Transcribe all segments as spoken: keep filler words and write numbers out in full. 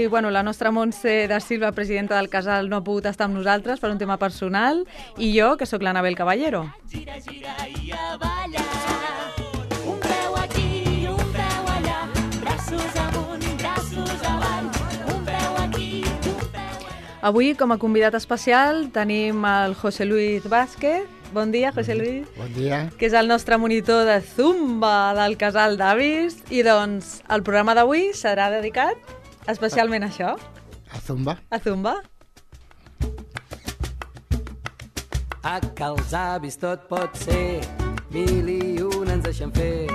Avui, bueno, la nostra Montse da Silva, presidenta del casal, no ha pogut estar amb nosaltres per un tema personal, i jo, que sóc l'Anabel Caballero. Gira, gira i a ballar. Un peu aquí, un peu allà, braços amunt, braços avall, un peu aquí, un peu allà. Avui, com a convidat especial, tenim el José Luis Vázquez. Bon dia, José Luis. Bon dia. Que és el nostre monitor de Zumba del casal d'avis. I doncs el programa d'avui serà dedicat especialment a això. A Zumba. A Zumba. A que els avis tot pot ser, mil i un ens deixen fer,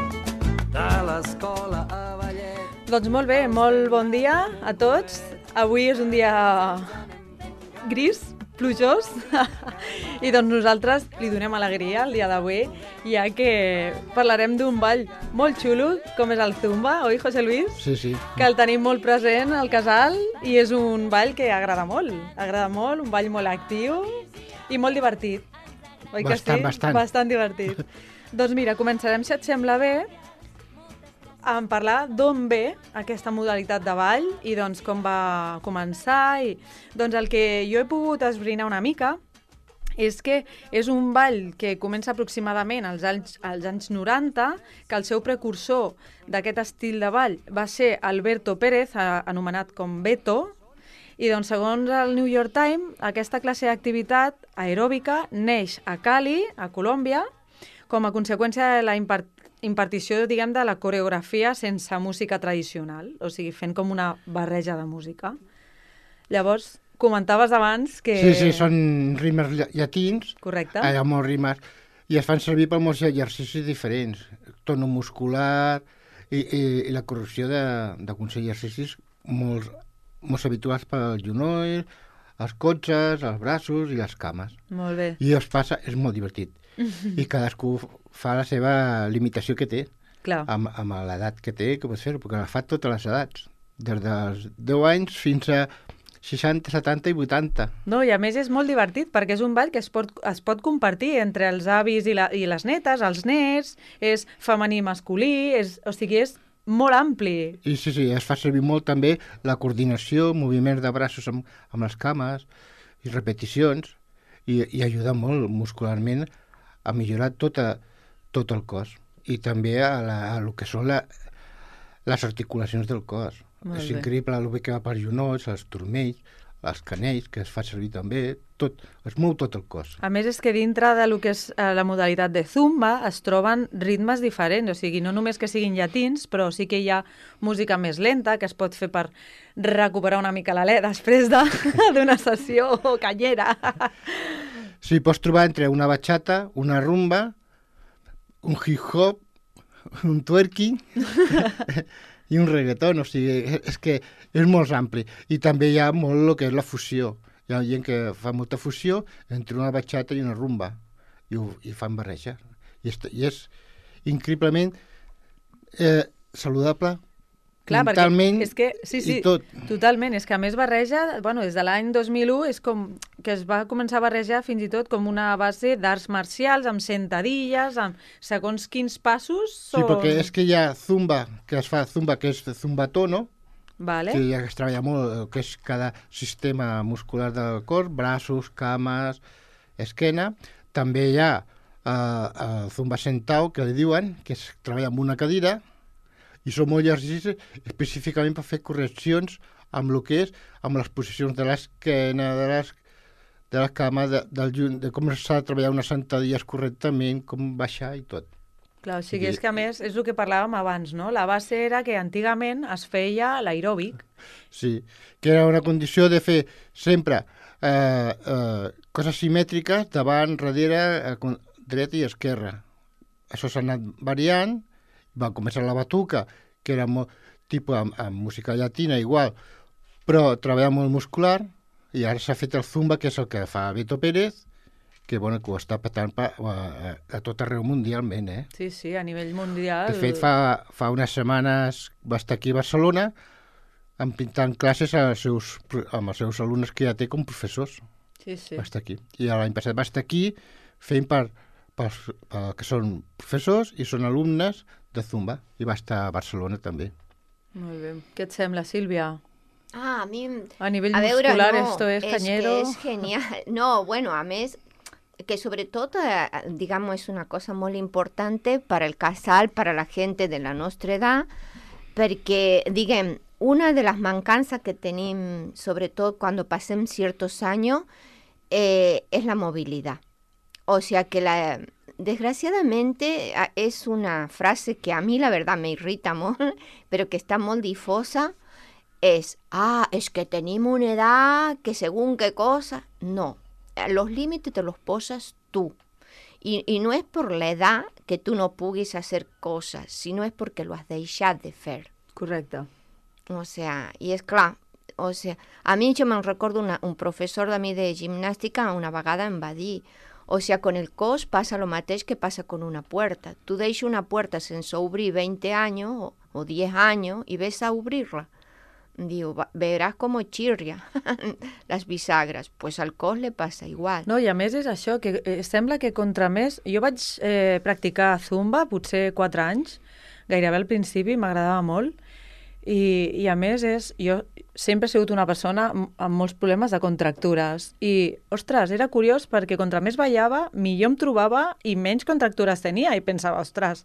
de l'escola a ballet. Doncs molt bé, molt bon dia a tots. Avui és un dia gris, plujós, i doncs nosaltres li donem alegria el dia d'avui, ja que parlarem d'un ball molt xulo, com és el Zumba, oi, José Luis? Sí, sí. Que el tenim molt present al casal i és un ball que agrada molt, agrada molt, un ball molt actiu i molt divertit, oi que bastant, sí? Bastant, Bastant divertit. Doncs mira, començarem, si et sembla bé, en parlar d'on ve aquesta modalitat de ball i doncs com va començar. I, doncs el que jo he pogut esbrinar una mica és que és un ball que comença aproximadament als anys, als anys noranta, que el seu precursor d'aquest estil de ball va ser Alberto Pérez, anomenat com Beto, i doncs segons el New York Times, aquesta classe d'activitat aeròbica neix a Cali, a Colòmbia, com a conseqüència de la impart impartició, diguem, de la coreografia sense música tradicional, o sigui, fent com una barreja de música. Llavors, comentaves abans que... Sí, sí, són rimes llatins. Correcte. Hi ha molts rimes, i es fan servir per molts exercicis diferents. Tono muscular i, i, i la correcció d'alguns exercicis molt, molt habituals pel genoll, els cotxes, els braços i les cames. Molt bé. I es passa, és molt divertit. I cadascú fa la seva limitació que té. Clar. Amb, amb l'edat que té, que pots fer-ho, perquè la fa a totes les edats, des dels deu anys fins a seixanta, setanta i vuitanta. No, i a més és molt divertit, perquè és un ball que es pot, es pot compartir entre els avis i, la, i les netes, els nets, és femení i masculí, és, o sigui, és molt ampli. I sí, sí, es fa servir molt també la coordinació, moviments de braços amb, amb les cames i repeticions, i, i ajuda molt muscularment a millorar tota, tot el cos i també a, la, a lo que són la, les articulacions del cos. Molt és bé. increïble el que va per genolls, els turmells, els canells, que es fa servir també, tot, es mou tot el cos. A més, és que dintre de lo que és eh, la modalitat de Zumba es troben ritmes diferents, o sigui, no només que siguin llatins, però sí que hi ha música més lenta, que es pot fer per recuperar una mica l'alè després d'una de, sessió canyera. Sí, pots trobar entre una bachata, una rumba, un hip-hop, un twerking i un reggaeton, o sigui, és que és molt ampli. I també hi ha molt el que és la fusió. Hi ha gent que fa molta fusió entre una bachata i una rumba, i, ho, i fan barreja. I és, i és increïblement eh, saludable, clar, mentalment és que, sí, sí, i tot. Totalment, és que a més barreja, bueno, des de l'any dos mil u és com que es va començar a barrejar fins i tot com una base d'arts marcials, amb sentadilles, amb segons quins passos són... Sí, perquè és que hi ha zumba, que es fa zumba, que és zumbató, no? Vale. Que ja es treballa molt, el que és cada sistema muscular del cos, braços, cames, esquena. També hi ha eh, el zumba sentau, que li diuen, que es treballa amb una cadira, i són molt exercicis específicament per fer correccions amb el que és, amb les posicions de l'esquena, de, les, de la cama, de, del, de com s'ha de treballar unes sentadilles correctament, com baixar i tot. Clar, o sigui, és que a més és el que parlàvem abans, no? La base era que antigament es feia l'aeròbic. Sí, que era una condició de fer sempre eh, eh, coses simètriques davant, darrere, eh, dreta i esquerra. Això s'ha anat variant. Va començar la batuca, que era molt, tipus amb, amb música llatina igual, però treballa molt muscular, i ara s'ha fet el zumba, que és el que fa Beto Pérez, que, bueno, que ho està petant pa, a, a tot arreu mundialment, eh? Sí, sí, a nivell mundial. De fet, fa, fa unes setmanes va estar aquí a Barcelona pintant classes als seus, amb els seus alumnes que ja té com professors. Sí, sí. Va estar aquí. I l'any passat va estar aquí fent per, per, per que són professors i són alumnes de Zumba, i va estar a Barcelona també. Molt bé. Què et sembla, Sílvia? Ah, a mi... A nivell a veure, muscular no, esto es cañero. És que és genial. No, bueno, a més, que sobretot, eh, digamos, és una cosa molt important per al casal, per a la gent de la nostra edat, perquè, diguem, una de les mancances que tenim, sobretot quan passem certs anys, eh, és la mobilitat. O sea que la... Desgraciadamente es una frase que a mí la verdad me irrita mucho, pero que está muy difusa, es, ah, es que tenemos una edad que según qué cosa. No, los límites te los posas tú. Y, y no es por la edad que tú no puguis hacer cosas, sino es porque lo has dejado de hacer. Correcte. O sea, y es clar, o sea, a mi jo me'n recordo una, un professor de mi de gimnàstica una vegada em va dir, o sea, con el cos pasa lo mateix que pasa con una puerta. Tú deixes una puerta sense obrir veinte años o, o diez años y ves a obrirla. Diu, verás como chirria las bisagras. Pues al cos le passa igual. No, i a més és això, que eh, sembla que contra més... Jo vaig eh, practicar zumba potser quatre anys, gairebé al principi, m'agradava molt, i, i a més és... Jo sempre he sigut una persona amb molts problemes de contractures i, ostres, era curiós perquè contra més ballava, millor em trobava i menys contractures tenia i pensava, ostres,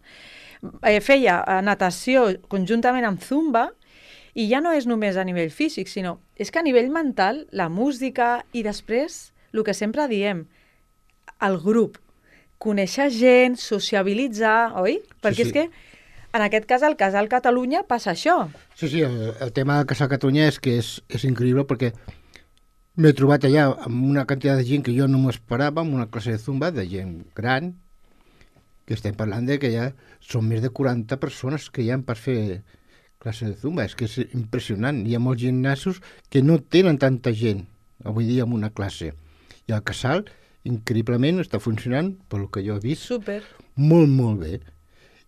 eh, feia natació conjuntament amb zumba i ja no és només a nivell físic, sinó és que a nivell mental, la música i després, el que sempre diem, el grup, conèixer gent, sociabilitzar, oi? Perquè Sí, sí. és que en aquest cas, al Casal Catalunya passa això. Sí, sí, el, el tema del Casal Catalunya és que és, és increïble perquè m'he trobat allà amb una quantitat de gent que jo no m'ho esperava, amb una classe de zumba de gent gran, que estem parlant de que ja són més de quaranta persones que hi ha per fer classe de zumba. És que és impressionant. Hi ha molts gimnasos que no tenen tanta gent avui dia en una classe. I el Casal, increïblement, està funcionant, pel que jo he vist, Súper. molt, molt bé.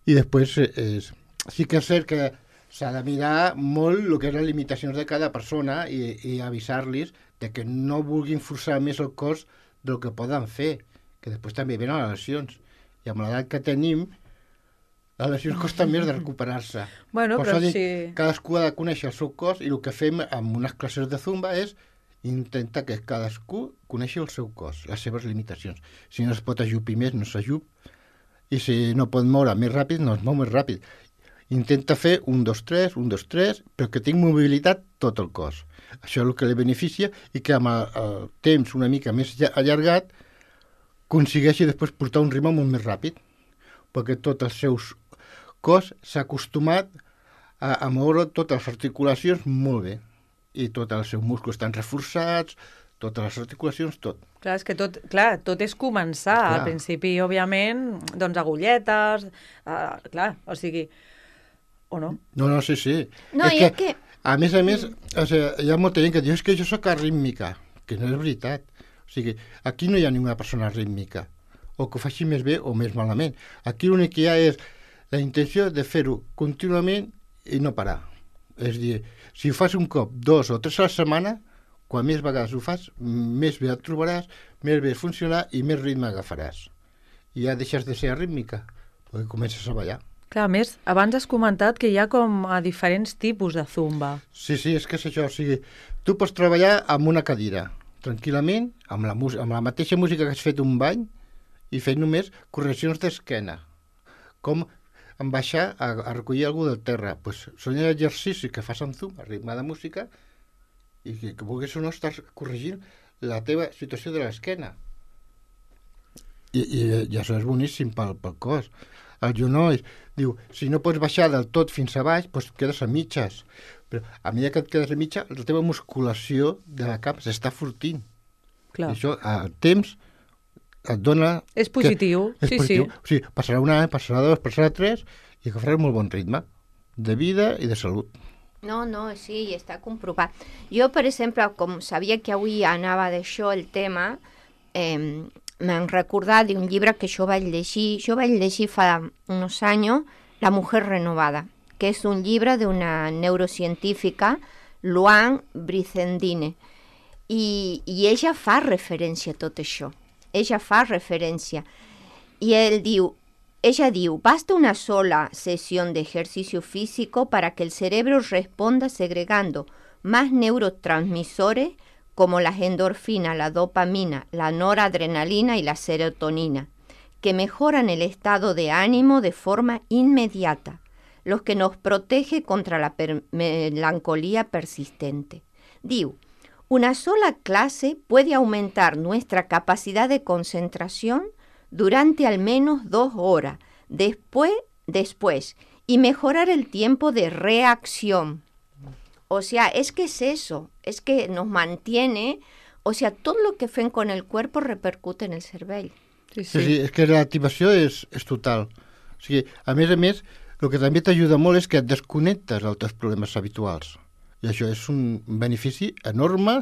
I després és, sí que és cert que s'ha de mirar molt el que és les limitacions de cada persona i, i avisar-los de que no vulguin forçar més el cos del que poden fer, que després també venen les lesions. I amb l'edat que tenim, les lesions costen més de recuperar-se. Bueno, Per però això dic, si... cadascú ha de conèixer el seu cos i el que fem amb unes classes de zumba és intentar que cadascú coneixi el seu cos, les seves limitacions. Si no es pot ajupir més, no s'ajup, i si no pot moure més ràpid, no es mou més ràpid. Intenta fer un, dos, tres, un, dos, tres, però que tingui mobilitat tot el cos. Això és el que li beneficia i que amb el, el temps una mica més allargat aconsegueixi després portar un ritme molt més ràpid, perquè tot el seu cos s'ha acostumat a, a moure totes les articulacions molt bé i tots els seus músculs estan reforçats, totes les articulacions, tot. Clar, és que tot, clar, tot és començar. Clar. Al principi, òbviament, doncs agulletes, uh, clar, o sigui... O no? No, no, sí, sí. No, és i que, és que... a més a més, o sigui, hi ha molta gent que diu és que jo sóc arrítmica, que no és veritat. O sigui, aquí no hi ha ninguna persona arrítmica, o que ho faci més bé o més malament. Aquí l'únic que hi ha és la intenció de fer-ho contínuament i no parar. És a dir, si ho fas un cop, dos o tres a la setmana, quan més vegades ho fas, més bé et trobaràs, més bé funcionarà i més ritme agafaràs. I ja deixes de ser arrítmica, perquè comences a ballar. Clar, a més, abans has comentat que hi ha com a diferents tipus de zumba. Sí, sí, és que és això. O sigui, tu pots treballar amb una cadira, tranquil·lament, amb la, amb la mateixa música que has fet un bany i fer només correccions d'esquena. Com en baixar a, a recollir algú del terra. Pues, són exercicis que fas amb zumba, ritme de música, i que, que vulguis o no estàs corregint la teva situació de l'esquena. I, i, i això és boníssim pel, pel cos. Els genolls, diu, si no pots baixar del tot fins a baix, doncs quedes a mitges. Però a mesura que et quedes a mitja, la teva musculació de la cap s'està fortint. Clar. I això, a temps, et dona... És positiu, que, és sí, positiu. sí. O sigui, passarà un any, passarà dos, passarà tres, i agafaràs molt bon ritme de vida i de salut. No, no, sí, està comprovat. Jo, per exemple, com sabia que avui anava d'això el tema, eh, m'han recordat d'un llibre que jo vaig llegir, jo vaig llegir fa uns anys, La mujer renovada, que és un llibre d'una neurocientífica, Luan Brizendine, i, i ella fa referència a tot això. Ella fa referència. Y él diu, ella diu, basta una sola sesión de ejercicio físico para que el cerebro responda segregando más neurotransmisores como las endorfinas, la dopamina, la noradrenalina y la serotonina, que mejoran el estado de ánimo de forma inmediata, los que nos protege contra la per- melancolía persistente. Diu, una sola clase puede aumentar nuestra capacidad de concentración durante al menos dos horas, después, después, y mejorar el tiempo de reacción. O sea, es que es eso, es que nos mantiene, o sea, todo lo que fem con el cuerpo repercute en el cervell. Sí, Sí, sí. sí, és que l'activació és, és total. O sigui, a més a més, el que també t'ajuda molt és que et desconnectes dels teus problemes habituals. I això és un benefici enorme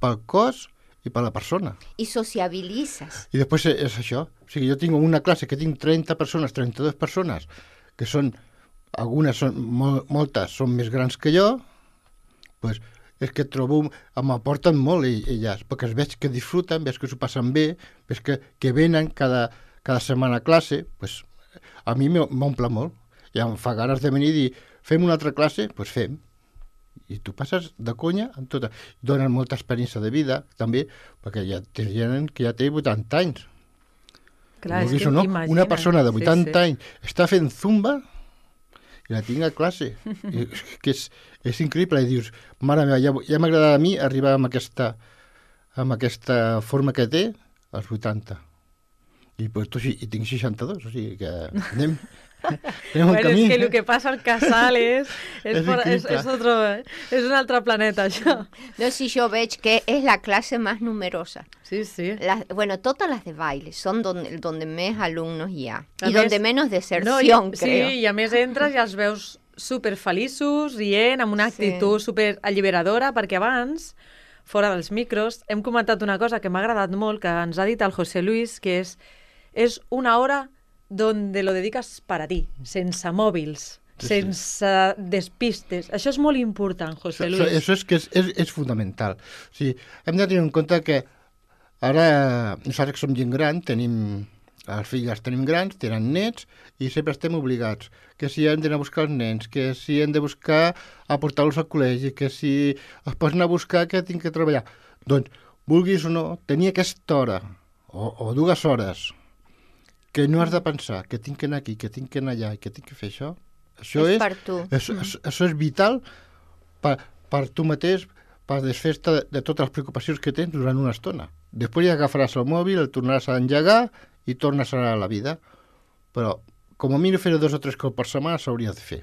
pel cos i per la persona. Y sociabilizas. I després és això. O sigui, jo tinc una classe que tinc trenta persones, trenta-dues persones, que són, algunes són, mol, moltes són més grans que jo, pues, és que trobo, m'aporten molt elles, perquè es veig que disfruten, veig que s'ho passen bé, veig que, que venen cada, cada setmana a classe, pues, a mi m'omple molt. I em fa ganes de venir i dir, fem una altra classe? Doncs pues fem. I tu passes de conya amb tota. Donen molta experiència de vida, també, perquè ja té gent que ja té vuitanta anys. Clar, és Vulguis que o no, imagina't. una persona de vuitanta sí, sí. anys està fent zumba i la tinc a classe. I, que és, és increïble. I dius, mare meva, ja, ja m'agrada a mi arribar amb aquesta, amb aquesta forma que té als vuitanta. I, pues, tu, i tinc seixanta-dos, o sigui que anem... Bueno, és que el que passa al casal és, és, És por, és, increïble. és, otro, és un altre planeta, això. No, si yo veig que es la clase más numerosa. Sí, sí. Las, bueno, todas las de baile son donde, donde más alumnos hi ha. A I més- donde menos deserción, No, i, creo. sí, i a més entres i els veus superfeliços, rient, amb una Sí. actitud superalliberadora, perquè abans, fora dels micros, hem comentat una cosa que m'ha agradat molt, que ens ha dit el José Luis, que és, és una hora donde lo dedicas para ti, sense mòbils, Sí, sí. sense despistes. Això és molt important, José Això, Luis. això és que és, és, és fonamental. O sigui, hem de tenir en compte que ara nosaltres que som gent gran, tenim els fills els tenim grans, tenen nets i sempre estem obligats. Que si hem d'anar a buscar els nens, que si hem de buscar a portar-los al col·legi, que si es posen a buscar que tinc que treballar. Doncs, vulguis o no, tenir aquesta hora o, o dues hores que no has de pensar que tinc que anar aquí, que tinc que anar allà i que tinc que fer això, això És és, per tu. això, això, això és vital per, per tu mateix, per desfer-te de, de totes les preocupacions que tens durant una estona. Després ja agafaràs el mòbil, el tornaràs a engegar i tornes a la vida. Però, com a mínim, fer dos o tres cops per setmana s'hauria de fer.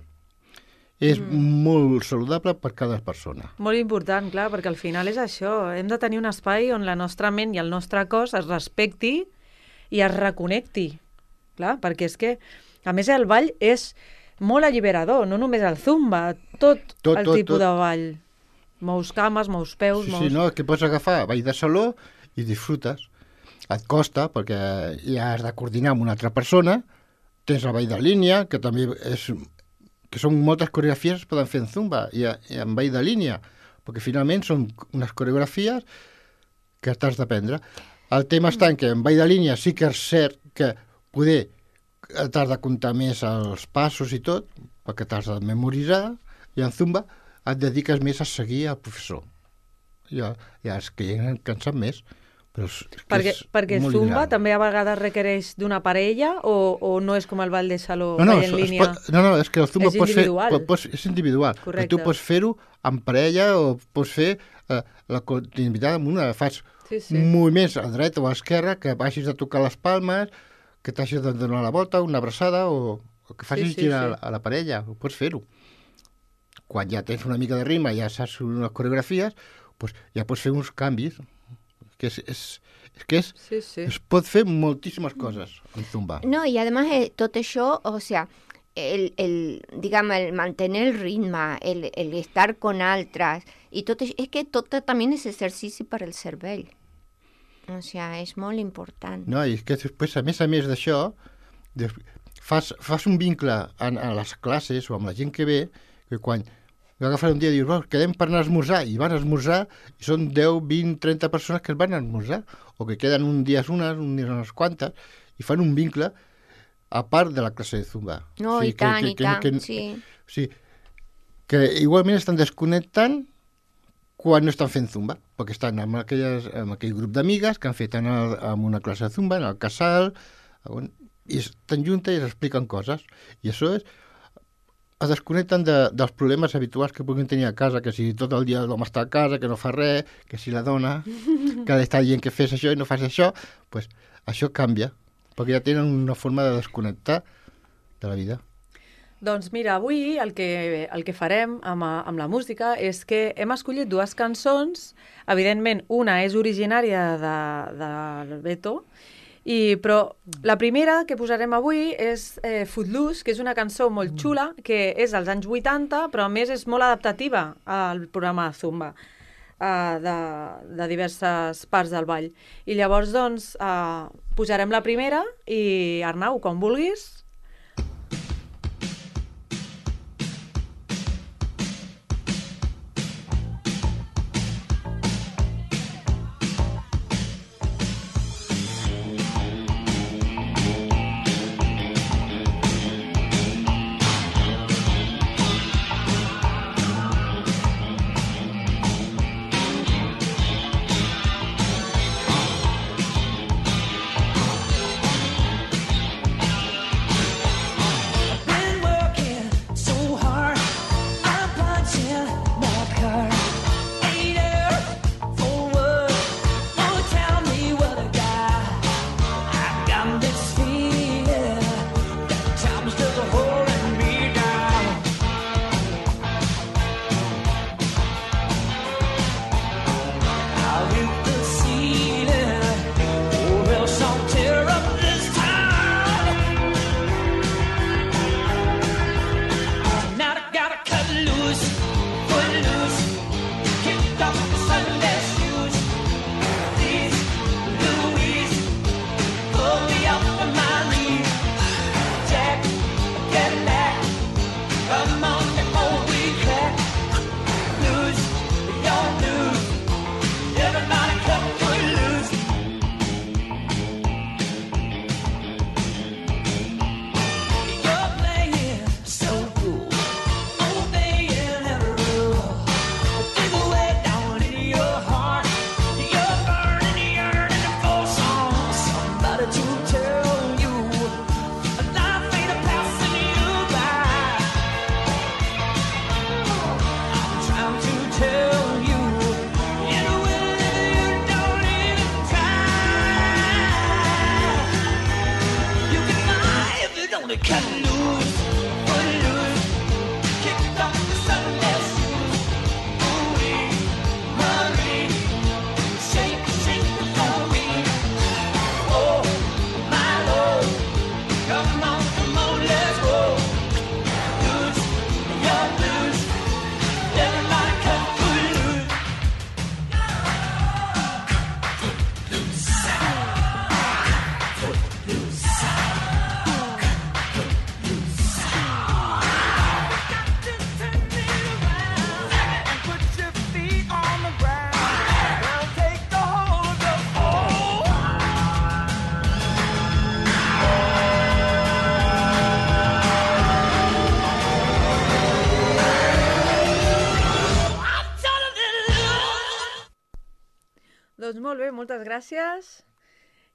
És mm. molt saludable per cada persona. Molt important, clar, perquè al final és això. Hem de tenir un espai on la nostra ment i el nostre cos es respecti i es reconnecti. Clar, perquè és que, a més, el ball és molt alliberador, no només el zumba, tot, Tot, el tot, tipus tot. de ball. Mous cames, mous peus, Sí, mous... sí, no, que pots agafar ball de saló i disfrutes. Et costa, perquè ja has de coordinar amb una altra persona, tens el ball de línia, que també és... que són moltes coreografies que es poden fer en zumba i, i en ball de línia, perquè finalment són unes coreografies que t'has d'aprendre. El tema està en que en ball de línia sí que és cert que poder t'has de comptar més els passos i tot, perquè t'has de memoritzar, i en zumba et dediques més a seguir al professor. Ja, ja és que ja han cansat més, però és, que Perquè, és perquè molt zumba liberal. també a vegades requereix d'una parella o, o no és com el ball de saló, No, no, ball en es, es línia? pot, no, no, és que el zumba És pots fer, individual. pot, pots, és individual. Però Correcte. tu pots fer-ho amb parella o pots fer eh, la continuïtat amb una. Fas Sí, sí. moviments a dreta o a esquerra, que vagis a tocar les palmes, que t'hagis de donar la volta, una abraçada o, o que facis Sí, sí, girar sí. a la parella. Ho pots fer-ho. Quan ja tens una mica de ritme, ja saps unes coreografies, doncs ja pots fer uns canvis. Que és, és, és que és, Sí, sí. es pot fer moltíssimes coses en zumba. No, y además eh, tot això, o sea, el, el, digamos, el mantener el ritme, el, el estar con altres, i tot això, és que tot també és exercici per al cervell. O sea, és molt important. No, i és que després, a més a més d'això, des- fas, fas un vincle a, a les classes o amb la gent que ve, que quan agafes un dia i dius, oh, quedem per anar a esmorzar, i van a esmorzar, i són deu, vint, trenta persones que es van a esmorzar, o que queden un dia unes, un dia unes quantes, i fan un vincle a part de la classe de zumba. No, O sigui, i tant, i tant, sí. O sigui, que igualment estan desconnectant quan no estan fent zumba, perquè estan amb, aquelles, amb aquell grup d'amigues que han fet en, el, en una classe de zumba, en el casal, on, i estan juntes i expliquen coses. I això és... es desconnecten de, dels problemes habituals que puguin tenir a casa, que si tot el dia l'home està a casa, que no fa res, que si la dona que ha d'estar dient que fes això i no fas això, pues, això canvia, perquè ja tenen una forma de desconnectar de la vida. Doncs mira, avui el que, el que farem amb, amb la música és que hem escollit dues cançons. Evidentment, una és originària de, del Beto, i, però la primera que posarem avui és eh, Footloose, que és una cançó molt xula, que és dels anys vuitanta, però a més és molt adaptativa al programa de Zumba, eh, de, de diverses parts del ball. I llavors, doncs, eh, posarem la primera i, Arnau, quan vulguis... Doncs molt bé, moltes gràcies.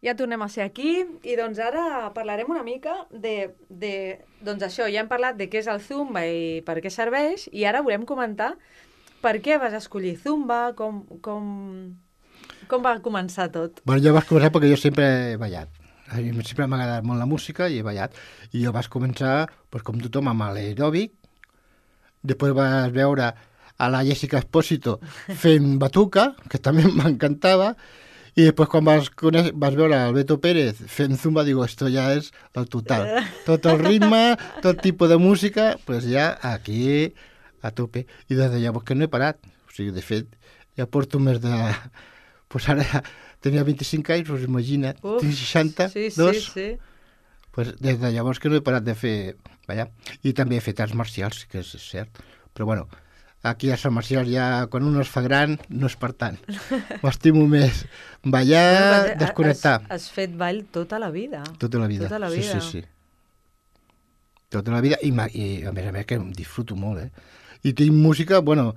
Ja tornem a ser aquí i doncs ara parlarem una mica de, de... Doncs això, ja hem parlat de què és el Zumba i per què serveix i ara volem comentar per què vas escollir Zumba, com, com, com va començar tot. Bueno, jo vaig començar perquè jo sempre he ballat. A mi sempre m'ha agradat molt la música i he ballat. I jo vaig començar, pues, com tothom, amb l'aeròbic. Després vas veure a la Jessica Espósito fent batuca, que també m'encantava, i després quan vas, conèixer, vas veure el Beto Pérez fent zumba, digo, esto ja és el total. Tot el ritme, tot tipus de música, pues ja aquí a tope. I des de llavors que no he parat. O sigui, de fet, ja porto més de... Pues ara tenia vint-i-cinc anys, us imagina't, Uf, tinc seixanta, sí, dos. Sí, sí. Pues des de llavors que no he parat de fer ballar. I també he fet arts marcials, que és cert. Però bueno, aquí a Sant Marcial ja, quan un es fa gran, no és per tant. M'estimo més ballar, Bueno, desconnectar. Has, has fet ball tota la vida. Tota la vida. Tota la vida. Sí, sí, sí. Tota la vida. I, i a més a més que em disfruto molt, eh? I tinc música, bueno,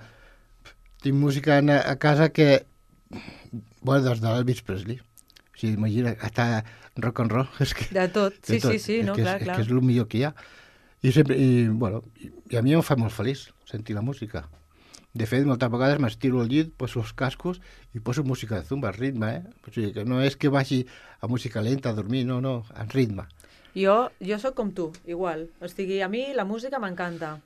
tinc música a, a casa que... Bueno, des de l'Elvis Presley. O sigui, imagina, està rock and roll. És que, De tot, sí, de tot. sí, sí, no, és que clar, és, clar. És que és el millor que hi ha. I, sempre, i, bueno, i, i a mi em fa molt feliç sentir la música. De fet, moltes vegades m'estiro al llit, poso els cascos i poso música de zumba, ritme, eh? O sigui, que no és que vagi a música lenta a dormir, no, no, en ritme. Jo, jo sóc com tu, igual. O sigui, a mi la música m'encanta.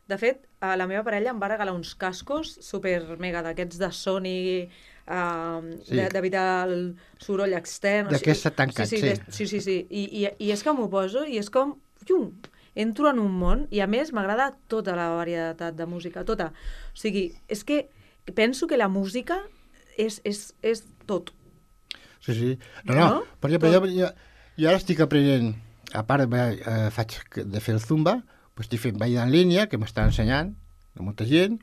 De fet, a la meva parella em va regalar uns cascos super mega d'aquests de Sony, uh, Sí. sí. d'evitar el soroll extern. o D'aquesta sigui, tancats, sí. Sí, sí. de- sí, sí, sí. I, i, I és que m'ho poso i és com... Llum, entro en un món i a més m'agrada tota la varietat de música, tota. O sigui, és que penso que la música és, és, és tot. Sí, sí. No, no, No? per exemple, Tot. jo, jo, jo ara estic aprenent, a part eh, faig de fer el zumba, pues estic fent ball en línia, que m'està ensenyant, de molta gent,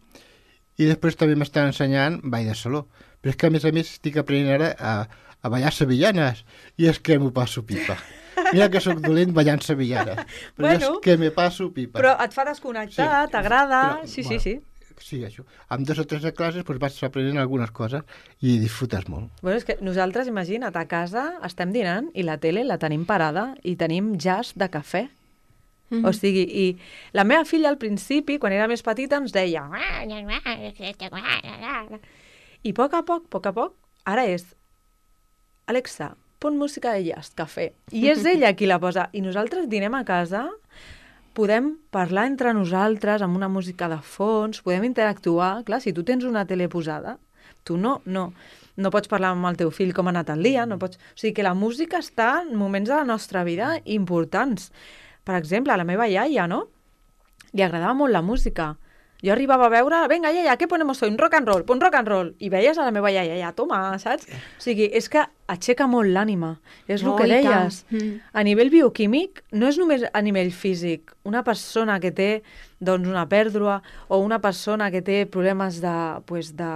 i després també m'estan ensenyant ball de saló. Però és que, a més a més, estic aprenent ara a, a ballar sevillanes, i és que m'ho passo pipa. Mira que sóc dolent ballant sevillanes, però Bueno, és que me passo pipa. Però et fa desconnectar, Sí. t'agrada... Però, Sí, sí, bueno, sí. Sí, això. Amb dos o tres de classes pues, vas aprenent algunes coses i disfrutes molt. Bueno, és que nosaltres, imagina't, a casa estem dinant i la tele la tenim parada i tenim jazz de cafè. Mm -hmm. O sigui, i la meva filla al principi, quan era més petita, ens deia... I a poc a poc, a poc a poc, ara és... Alexa, pon música de jazz, cafè. I és ella qui la posa. I nosaltres dinem a casa, podem parlar entre nosaltres amb una música de fons, podem interactuar. Clar, si tu tens una tele posada, tu no, no, no pots parlar amb el teu fill com ha anat el dia, no pots... O sigui que la música està en moments de la nostra vida importants. Per exemple, a la meva iaia, no? Li agradava molt la música. Jo arribava a veure, venga, iaia, què ponemos hoy? Un rock and roll, pon rock and roll. I veies a la meva iaia, ja, toma, saps? O sigui, és que aixeca molt l'ànima. És el Oh, que i tant. deies. Mm. A nivell bioquímic, no és només a nivell físic. Una persona que té doncs, una pèrdua o una persona que té problemes de, pues, de,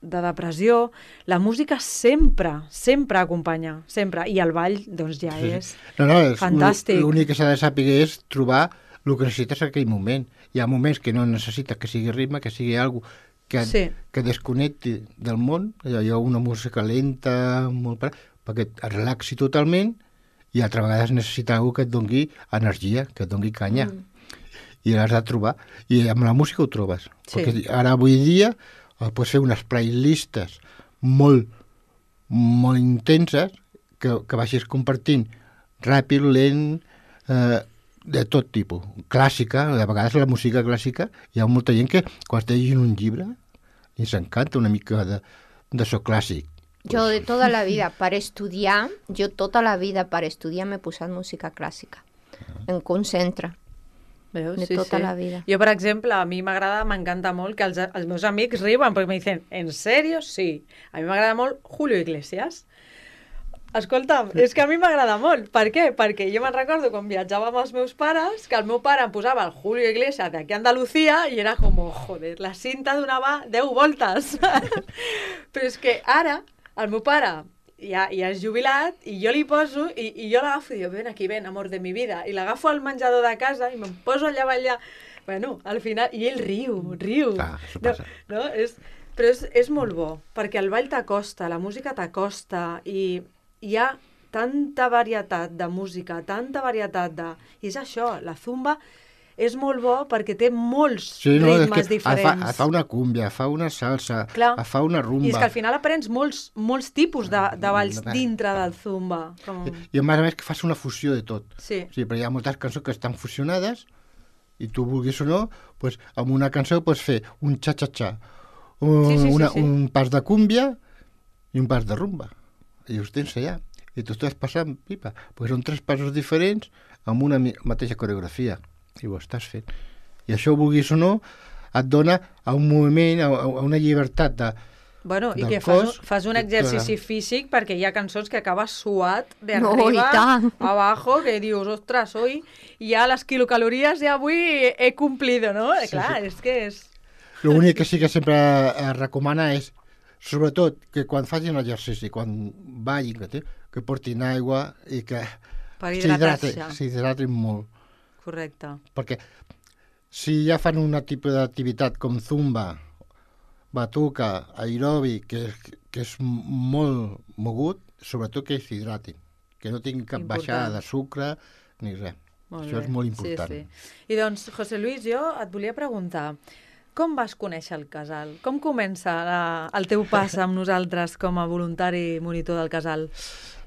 de depressió, la música sempre, sempre acompanya, sempre. I el ball, doncs, ja Sí, sí. és No, no, és fantàstic. L'únic que s'ha de saber és trobar el que necessites en aquell moment. Hi ha moments que no necessites que sigui ritme, que sigui algo que, Sí. que desconnecti del món. Hi ha una música lenta, molt per... perquè et relaxi totalment, i altra vegada necessita algú que et doni energia, que et doni canya. Mm. I l'has de trobar. I amb la música ho trobes. Sí. Perquè ara, avui dia, pots fer unes playlistes molt, molt intenses que, que vagis compartint ràpid, lent, eh, de tot tipus. Clàssica, de vegades la música clàssica, hi ha molta gent que quan està llegint un llibre li s'encanta una mica de, de so clàssic. Yo de toda la vida, para estudiar, yo toda la vida para estudiar me he posat música clàssica. Em concentra. Veus? De tota la vida. Jo, per exemple, a mi m'agrada, m'encanta molt que els, els meus amics riuen perquè me dicen, ¿en serio? Sí. A mi m'agrada molt Julio Iglesias. Escolta'm, és que a mi m'agrada molt. Per què? Perquè jo me'n recordo quan viatjava amb els meus pares, que el meu pare em posava el Julio Iglesias d'aquí a Andalucía i era com, joder, la cinta donava deu voltes. Però és que ara el meu pare ja, ja és jubilat i jo li poso i, i jo l'agafo i dic, ven aquí, ven, amor de mi vida. I l'agafo al menjador de casa i me'n poso allà a ballar. Bueno, al final... I ell riu, riu. Clar, això no, passa. no? És, però és, és molt bo, perquè el ball t'acosta, la música t'acosta i hi ha tanta varietat de música, tanta varietat de... I és això, la zumba és molt bo perquè té molts Sí, no, és ritmes que diferents. Fa, fa una cúmbia, fa una salsa, Clar. fa una rumba. I és que al final aprens molts, molts tipus de, de balls Mm, dintre del zumba. Com... I a més a més que fas una fusió de tot. Sí. Sí, perquè hi ha moltes cançons que estan fusionades i tu vulguis o no, pues, amb una cançó pots fer un xa-xa-xa, un, Sí, sí, sí, una, sí. un pas de cúmbia i un pas de rumba. I us tens allà. I tu estàs passant pipa. Pues són tres passos diferents amb una mi- mateixa coreografia. I ho estàs fent. I això, vulguis o no, et dona a un moviment, a, a una llibertat de... Bueno, i del que fas, cos, un- fas un que- exercici físic perquè hi ha cançons que acabes suat de No, arriba i tant. a abajo, que dius, ostres, hoy ja les quilocalories ja avui he cumplido, no? Sí, Clar, sí. és que és... L'únic que sí que sempre es recomana és, sobretot, que quan facin exercici, quan vagin, que, té, que portin aigua i que Per s'hidraten hidratar-se. s'hidratin molt. Correcte. Perquè si ja fan un tipus d'activitat com zumba batuca, aerobi, que, que és molt mogut, sobretot que s'hidratin, que no tinguin cap Important. baixada de sucre ni res. Molt Això bé. és molt important. Sí, sí. I doncs, José Luis, jo et volia preguntar, com vas conèixer el casal? Com comença la, el teu pas amb nosaltres com a voluntari monitor del casal?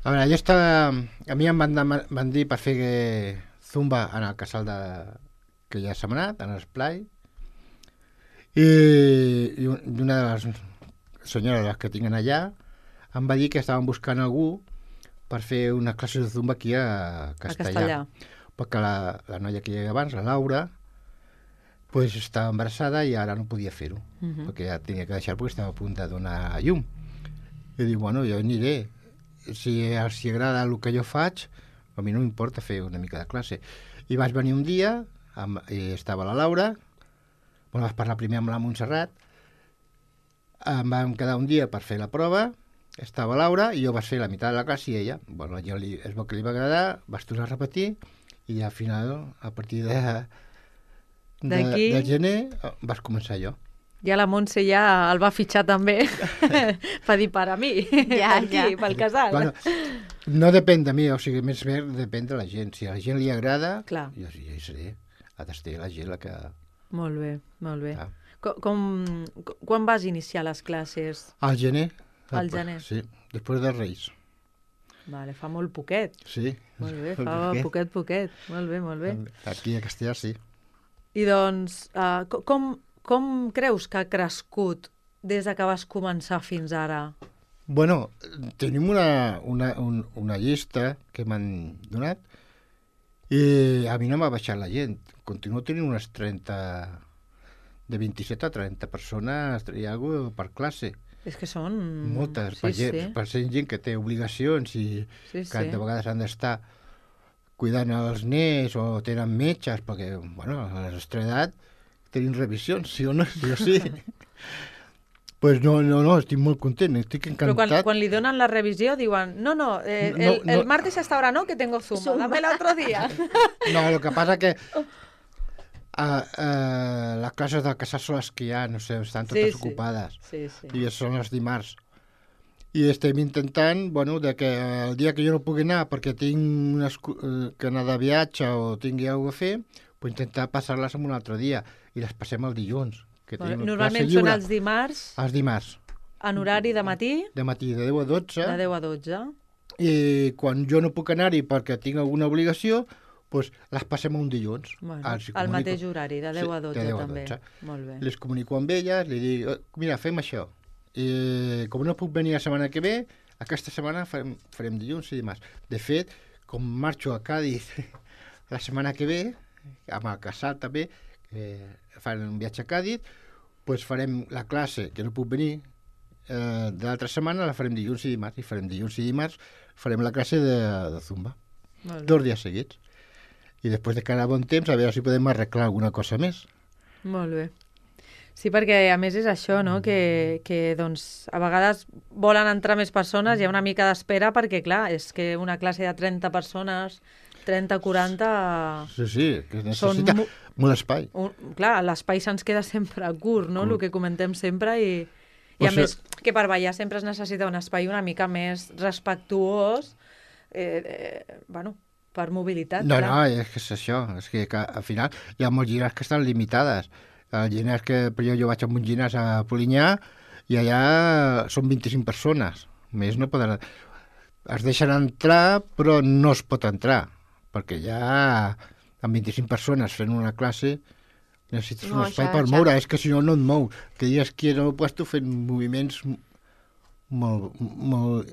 A veure, jo estava... A mi em van, dema- van dir per fer zumba en el casal de... que ja s'ha anat, en l'esplai, i, i un- i una de les senyores que tinguin allà em va dir que estaven buscant algú per fer una classe de zumba aquí a Castellà. A Castellà. Perquè la, la noia que hi havia abans, la Laura, pues, estava embarassada i ara no podia fer-ho, uh -huh. perquè ja tenia que deixar perquè estava a punt de donar a llum. I dic, bueno, jo aniré. Si els agrada el que jo faig, a mi no m'importa fer una mica de classe. I vaig venir un dia, amb, i estava la Laura, bueno, vaig parlar primer amb la Montserrat, em vam quedar un dia per fer la prova, estava Laura, i jo vaig fer la meitat de la classe i ella, bueno, jo li, es veu que li va agradar, vaig tornar a repetir, i al final, a partir de, de, de gener, vas començar jo. Ja la Montse ja el va fitxar també per dir per a mi, Ja, per aquí, ja. pel casal. Bueno, no depèn de mi, o sigui, més bé depèn de la gent. Si a la gent li agrada, Clar. jo, jo hi seré. Ha d'estar la gent la que... Molt bé, molt bé. Ah. Com, com, quan vas iniciar les classes? Al gener. Al gener. Sí, després dels Reis. Vale, fa molt poquet. Sí. Molt bé, fa poquet, poquet. Molt bé, molt bé. Aquí a Castellà, sí. I doncs, uh, com, com creus que ha crescut des de que vas començar fins ara? Bueno, tenim una, una, un, una llista que m'han donat i a mi no m'ha baixat la gent. Continuo tenint unes trenta... de vint-i-set a trenta persones i alguna per classe. És que són... Moltes, sí, per, gent, sí. per ser gent que té obligacions i Sí, que sí. de vegades han d'estar cuidant els nens o tenen metges, perquè, bueno, a la nostra edat tenim revisions, sí o no, sí o sí. Pues no, no, no, estic molt content, estic Però quan, encantat. quan li donen la revisió diuen no, no, eh, No, el, no. el martes hasta ahora no, que tengo zumba, Zumba. dame el otro día. No, lo que passa que uh, uh, les classes del casal són les que hi ha, no sé, estan totes Sí, sí. ocupades. Sí, sí. I són els dimarts. I estem intentant, bueno, de que el dia que jo no pugui anar perquè tinc una escu- eh, que anar de viatge o tingui alguna cosa a fer, pues intentar passar-les en un altre dia. I les passem el dilluns. Que Bueno, tenim normalment classe són lliure. els dimarts Els dimarts, en horari de matí, de matí de deu a dotze, de deu a dotze. i quan jo no puc anar-hi perquè tinc alguna obligació, pues les passem un dilluns. Bueno, Els hi al comunico. mateix horari, de deu Sí, a dotze de deu a també. dotze. Molt bé. Les comunico amb elles, li dic, "Oh, mira, fem això. I com no puc venir la setmana que ve, aquesta setmana farem, farem dilluns i dimarts. De fet, com marxo a Càdiz la setmana que ve, amb el casal també, que fan un viatge a Càdiz, pues farem la classe, que no puc venir, eh, de l'altra setmana la farem dilluns i dimarts, i farem dilluns i dimarts, farem la classe de, de Zumba. Molt bé. Dos dies seguits. I després de cada bon temps, a veure si podem arreglar alguna cosa més. Molt bé. Sí, perquè a més és això, no? que, que doncs, a vegades volen entrar més persones, hi ha una mica d'espera perquè, clar, és que una classe de trenta persones, trenta, quaranta... Sí, sí, que Són necessita mo- molt espai. Un, clar, l'espai se'ns queda sempre curt, no? Curt. El que comentem sempre i, i O a sigui- més que per ballar sempre es necessita un espai una mica més respectuós, eh, eh, bueno, per mobilitat. No, clar. no, és que és això, és que, que al final hi ha molts gimnasos que estan limitades. El gimnàs que per jo, jo vaig a un gimnàs a Polinyà i allà són vint-i-cinc persones. Més no poden... Es deixen entrar, però no es pot entrar, perquè ja amb vint-i-cinc persones fent una classe necessites No, un espai ja, per ja. moure, és que si no, no et mou. Que dies que no ho puesto fent moviments molt, molt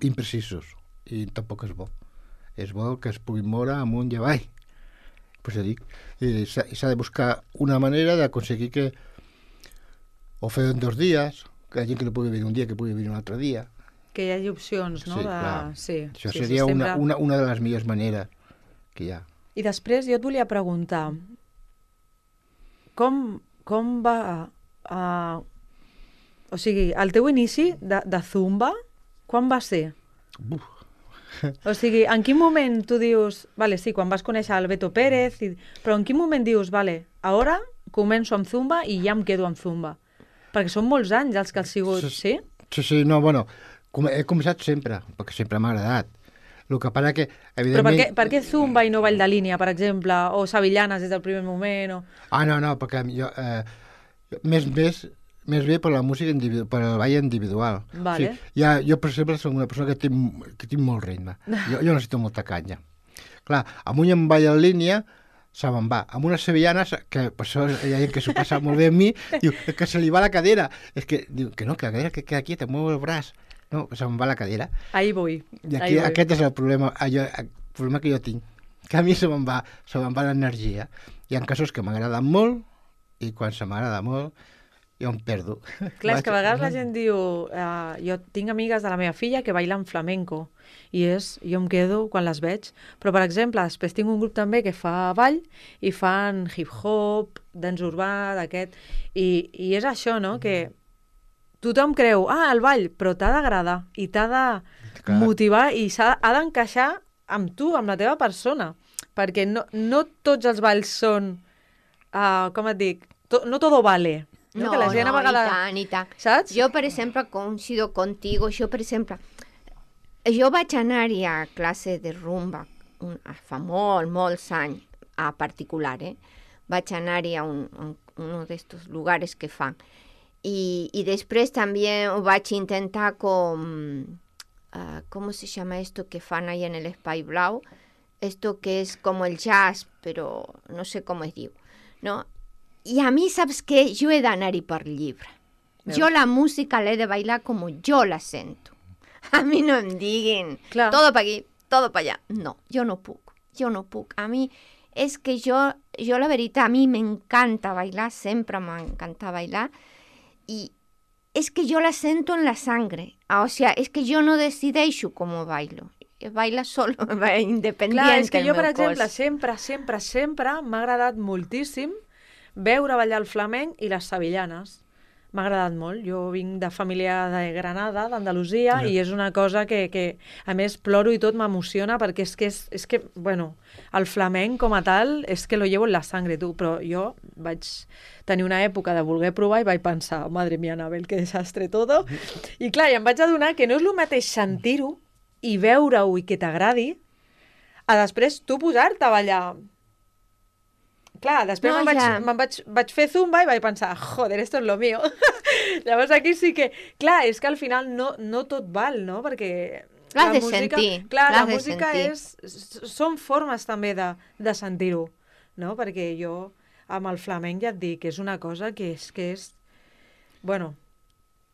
imprecisos i tampoc és bo. És bo que es pugui moure amunt i avall. Pues ja dic, i s'ha i s'ha de buscar una manera d'aconseguir que o fer en dos dies, que hi ha gent que no pugui venir un dia, que pugui venir un altre dia. Que hi hagi opcions, no? Sí, de... clar. sí, Això sí, seria sí, una, sempre... una, una de les millors maneres que hi ha. I després jo et volia preguntar, com, com va... Uh, o sigui, el teu inici de, de Zumba, quan va ser? Uf. O sigui, en quin moment tu dius... Vale, sí, quan vas conèixer el Beto Pérez, i, però en quin moment dius, vale, ara començo amb Zumba i ja em quedo amb Zumba? Perquè són molts anys els que has sigut, Sí, sí? Sí, sí, no, bueno, com, he començat sempre, perquè sempre m'ha agradat. El que passa que, Però per evidentment... què, per què Zumba i no ball de línia, per exemple? O sevillanes des del primer moment? O... Ah, no, no, perquè jo... Eh, més, més, més bé per la música individual, per el ball individual. Vale. Sí, ja, jo, per exemple, soc una persona que tinc, que tinc molt ritme. Jo, jo necessito molta canya. Clar, amb un en ball en línia se me'n va. Amb unes sevillanes, que per això hi ha gent que s'ho passa molt bé amb mi, diu que se li va la cadera. És que diu que no, que la cadera que queda quieta, mueu el braç. No, se me'n va la cadera. Ahí vull. I aquí, aquest és el problema, allò, el problema que jo tinc. Que a mi se me'n va, se me'n va l'energia. Hi ha casos que m'agraden molt i quan se m'agrada molt jo em perdo. Clar, és que a vegades la gent diu... Uh, jo tinc amigues de la meva filla que bailen flamenco i és, jo em quedo quan les veig. Però, per exemple, després tinc un grup també que fa ball i fan hip-hop, dance urbà, d'aquest... I, I és això, no?, que tothom creu, ah, el ball, però t'ha d'agradar i t'ha de Clar. motivar i s'ha ha d'encaixar amb tu, amb la teva persona. Perquè no, no tots els balls són, uh, com et dic, to, no todo vale. No, que la gent no, a vegades... i tant, i tant. Saps? Jo, per exemple, coincido contigo. Jo, per exemple, jo vaig anar-hi a classe de rumba un, fa molt, molts anys, a particular, eh? Vaig anar-hi a un, un, uno d'estos lugares que fan. I, i després també ho vaig intentar con... Uh, ¿cómo se llama esto que fan ahí en el Espai Blau? Esto que es como el jazz, pero no sé cómo es diu, ¿no? I a mi, saps què? Jo he d'anar-hi per llibre. Veus? Jo la música l'he de bailar com jo la sento. A mi no em diguin, Clar. todo pa aquí, todo pa allà. No, jo no puc, jo no puc. A mi, és que jo, jo la veritat, a mi m'encanta bailar, sempre m'encanta bailar, i és que jo la sento en la sangre. O sea, és que jo no decideixo com bailo. Baila solo, independent. Clar, és que el jo, per meu exemple, cos. sempre, sempre, sempre m'ha agradat moltíssim veure ballar el flamenc i les sevillanes. M'ha agradat molt. Jo vinc de família de Granada, d'Andalusia, Ja. i és una cosa que, que, a més, ploro i tot m'emociona perquè és que, és, és que, bueno, el flamenc com a tal és que lo llevo en la sangre, tu, però jo vaig tenir una època de voler provar i vaig pensar, madre mía, Anabel, que desastre todo. I clar, i em vaig adonar que no és el mateix sentir-ho i veure-ho i que t'agradi a després tu posar-te a ballar. Clar, després No, no, me'n vaig, ja. me'n vaig, vaig fer zumba i vaig pensar, joder, esto es lo mío. Llavors aquí sí que... Clar, és que al final no, no tot val, no? Perquè... L'has la de música, sentir, clar, la l'has de música sentir. és... s- Són formes també de, de sentir-ho, no? Perquè jo amb el flamenc ja et dic que és una cosa que és... Que és bueno,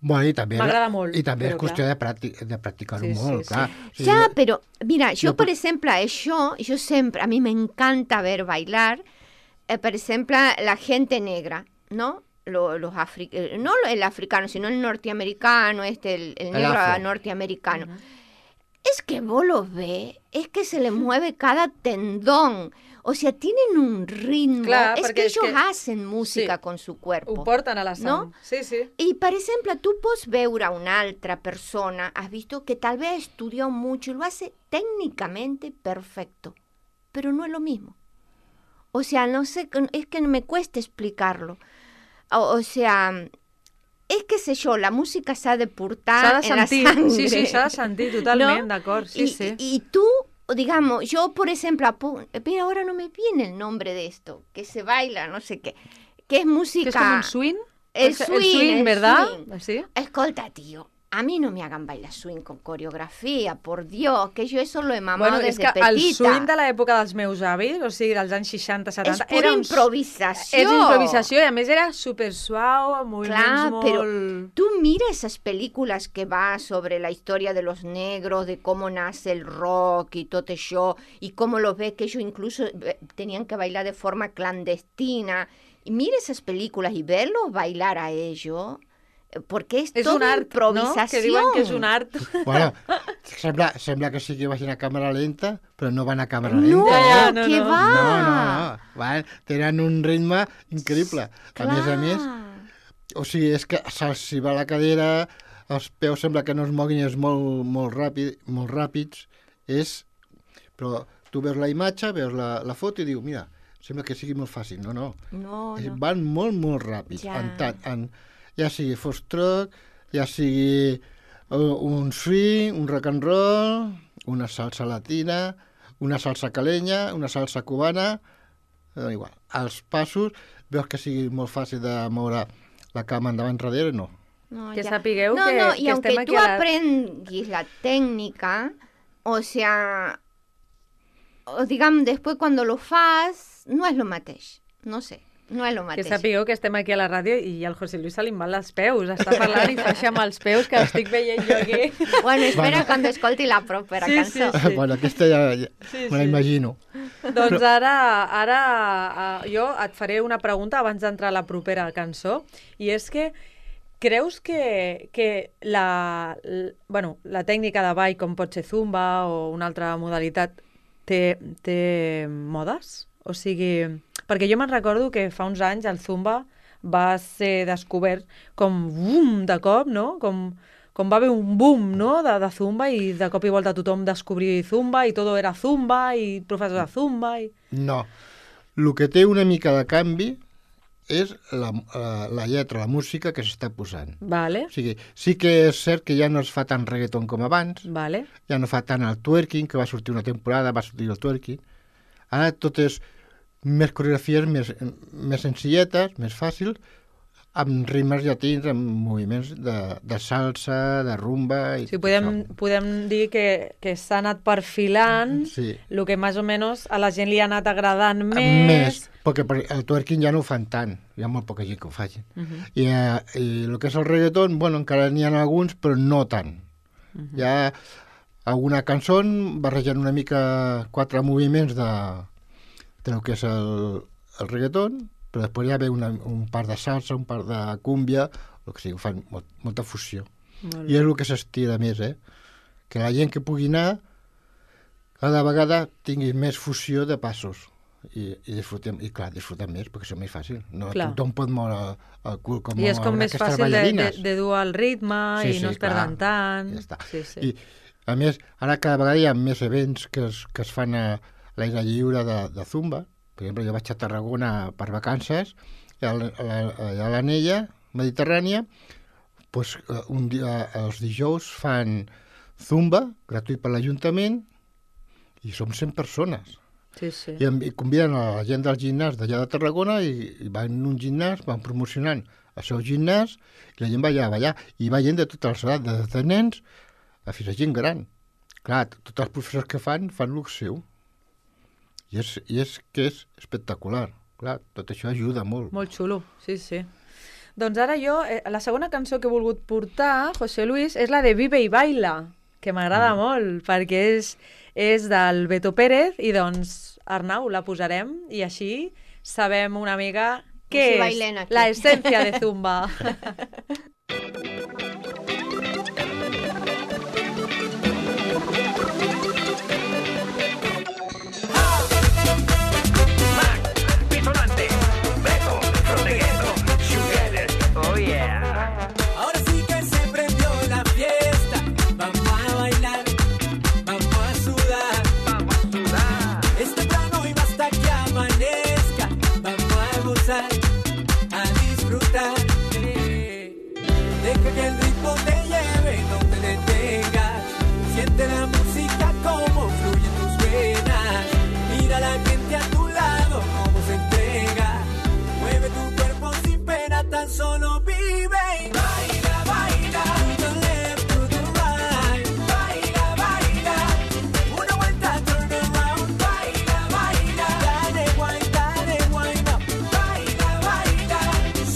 Bueno, i també, M'agrada molt, I també és però qüestió clar. de, practic, de practicar-ho Sí, sí, molt, sí. clar. O sigui, Ja, jo- però, mira, jo, jo per per- exemple, això, jo sempre, a mi m'encanta ver bailar, eh, per exemple, la gente negra, ¿no? Lo- los afri eh, no el africano, sino el norteamericano, este, el, el El negro afro. norteamericano. Es que vos los ves, es que se le mueve cada tendón. O sea, tienen un ritmo. Clar, es perquè que és ellos que- hacen música sí. con su cuerpo. ho porten a la sang. No? Sí, sí. Y, por ejemplo, tú puedes ver a una altra persona, has visto que tal vez estudió mucho y lo hace técnicamente perfecto, pero no es lo mismo. O sea, no sé, es que me cuesta explicarlo. O, o sea, es que sé yo, la música s'ha de portar S'ha de en la sentir. sangre. Sí, sí, s'ha de sentir totalment, ¿no? d'acord. Sí, y, sí. y tú, digamos, yo, por ejemplo, apu- pero ahora no me viene el nombre de esto, que se baila, no sé qué, que es música... Que és com un swing? El Es- swing, el swing, el ¿verdad? swing. Sí. Escolta, tío, a mí no me hagan bailar swing con coreografía, por Dios, que yo eso lo he mamado Bueno, és desde que petita. el swing de l'època dels meus avis, o sigui, dels anys seixanta setanta... és pura era un- improvisació. És improvisació i a més era super suau, amb moviments Clar, molt... pero tú mira esas películas que va sobre la historia de los negros, de cómo nace el rock y todo eso, y cómo lo ves que ellos incluso eh, tenían que bailar de forma clandestina. Y mira esas películas y verlos bailar a ellos, eh, porque es, És toda un art, no? improvisación. Que diuen que és un art. Bueno, sembla, sembla que sí que vagin a càmera lenta, però no van a càmera No, lenta. Ja, ja, eh? no, que no. va. No, no, no. Van, tenen un ritme increïble. A més a més, o sigui, és que se'ls hi va la cadera, els peus sembla que no es moguin, és molt, molt, ràpid, molt ràpids, és... Però tu veus la imatge, veus la, la foto i dius, mira, sembla que sigui molt fàcil. No, no. No, És- no. Van molt, molt ràpids. Ja. En tant, en, ja sigui foxtrot, ja sigui un swing, un rock and roll, una salsa latina, una salsa calenya, una salsa cubana, eh, igual. Els passos, veus que sigui molt fàcil de moure la cama endavant enrere, no. No, que ya. sapigueu no, que, no, que y aunque estem aquí tú a la... aprenguis la técnica, o sea, o digamos, después cuando lo fas, no es lo mateix, no sé, no es lo Que mateix. sapigueu que estem aquí a la ràdio i al José Luis se li en van les peus. Està parlant i fa així amb els peus, que estic veient jo aquí. Bueno, espera Bueno. cuando escolti la propera Sí, cançó. sí, sí. Bueno, aquesta ja, ja Sí, me la sí. imagino. Doncs ara, ara uh, jo et faré una pregunta abans d'entrar a la propera cançó, i és que creus que, que la, l, bueno, la tècnica de ball, com pot ser zumba o una altra modalitat, té, té modes? O sigui, perquè jo me'n recordo que fa uns anys el zumba va ser descobert com bum, de cop, no? Com, com va haver un boom, no?, de, de zumba, i de cop i volta tothom descobria zumba i tot era zumba i professor de zumba. I... No. El que té una mica de canvi és la, la, la lletra, la música que s'està posant. Vale, O sigui, sí que és cert que ja no es fa tant reggaeton com abans, vale. ja no fa tant el twerking, que va sortir una temporada, va sortir el twerking. Ara tot és més coreografies més, més senzilletes, més fàcils, amb ritmes llatins, amb moviments de, de salsa, de rumba... I Sí, podem, podem dir que, que s'ha anat perfilant Sí. el que més o menys a la gent li ha anat agradant més. Més, perquè per- el twerking ja no ho fan tant, hi ha molt poca gent que ho facin. Uh -huh. I, eh, I el que és el reggaeton, bueno, encara n'hi ha alguns, però no tant. Uh -huh. Hi ha alguna cançó barrejant una mica quatre moviments de, del que és el, el reggaeton, però després ja ve una, un part de salsa, un part de cúmbia, el que sigui, fan molt, molta fusió. Molt I és el que s'estira més, eh? Que la gent que pugui anar cada vegada tingui més fusió de passos i, i disfrutem, i clar, disfrutem més perquè és més fàcil. No Clar. tothom pot moure el cul com I és com mouen més aquestes fàcil de, de, ballarines. de dur el ritme Sí, i sí, no es clar. perden tant. Ja està. Sí, sí. I, a més, ara cada vegada hi ha més events que es, que es fan a l'aire lliure de, de Zumba. Per exemple, jo vaig a Tarragona per vacances, i a la- a la- allà a l'Anella Mediterrània, doncs, un dia, els dijous fan Zumba, gratuït per l'Ajuntament, i som cent persones. Sí, sí. I, em- i conviden a la gent del gimnàs d'allà de Tarragona i, i van en un gimnàs, van promocionant el seu gimnàs, i la gent va allà a ballar. I va gent de totes les edats, des de nens a fins a gent gran. Clar, tots els professors que fan, fan el seu. I és, i és que és espectacular. Clar, tot això ajuda molt. Molt xulo, sí, sí. Doncs ara jo, eh, la segona cançó que he volgut portar, José Luis, és la de Vive i Baila, que m'agrada mm. molt, perquè és, és del Beto Pérez, i doncs, Arnau, la posarem, i així sabem una mica què si és bailen aquí. la essència de Zumba. Pisonante, Beto, Frotegueto, Sugeles, oh yeah. Ahora sí que se prendió la fiesta. Vamos a bailar, vamos a sudar. Vamos a sudar. Es temprano y basta que amanezca. Vamos a gozar, a disfrutar. Eh, Deja que el ritmo te lleve, no te detengas. Siente la música como fluye en tus venas. Mira a la gente a tu lado como se entrega. Mueve tu cuerpo sin pena, tan solo vive y baila, baila. To the left, to the right. Baila, baila. Una vuelta, turn around. Baila, baila. Dale, wine, dale, wine up. Baila, baila.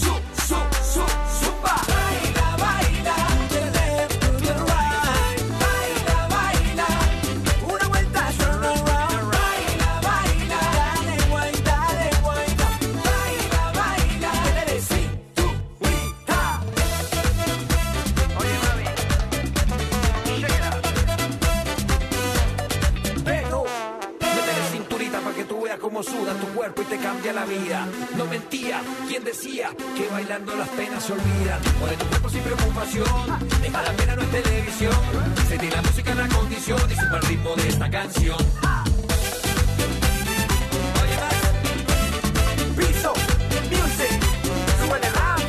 Su, su, su, supa. Baila, baila. To the left, to the right. Baila, baila. Una vuelta, turn around. Baila, baila. Dale, wine, dale, wine up. Baila, baila. Dale, cinturita. Oye, mami, shake it out. Pero métele cinturita para que tú veas cómo suda tu cuerpo y te cambia la vida. No mentía, quien decía que bailando las penas se olvidan. Mueve tu cuerpo sin preocupación, deja la pena no es televisión. Sentí la música en la condición y sube el ritmo de esta canción. Oye, más. Piso, music, súbele rap.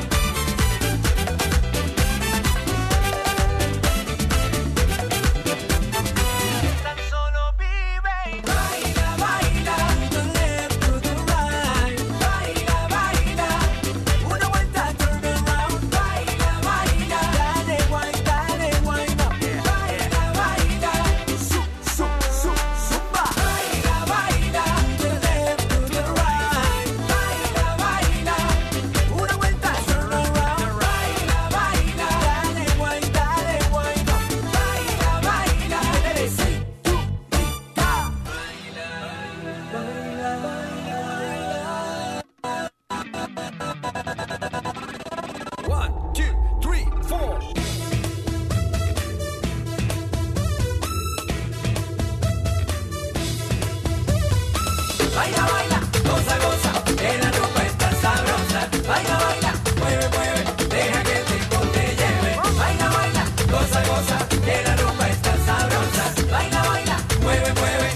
baila, baila, goza, goza, que la rumba está sabrosa. Baila, baila, mueve, mueve, deja que el ritmo te lleve. Baila, baila, goza, goza, que la rumba está sabrosa. Baila, baila, mueve, mueve.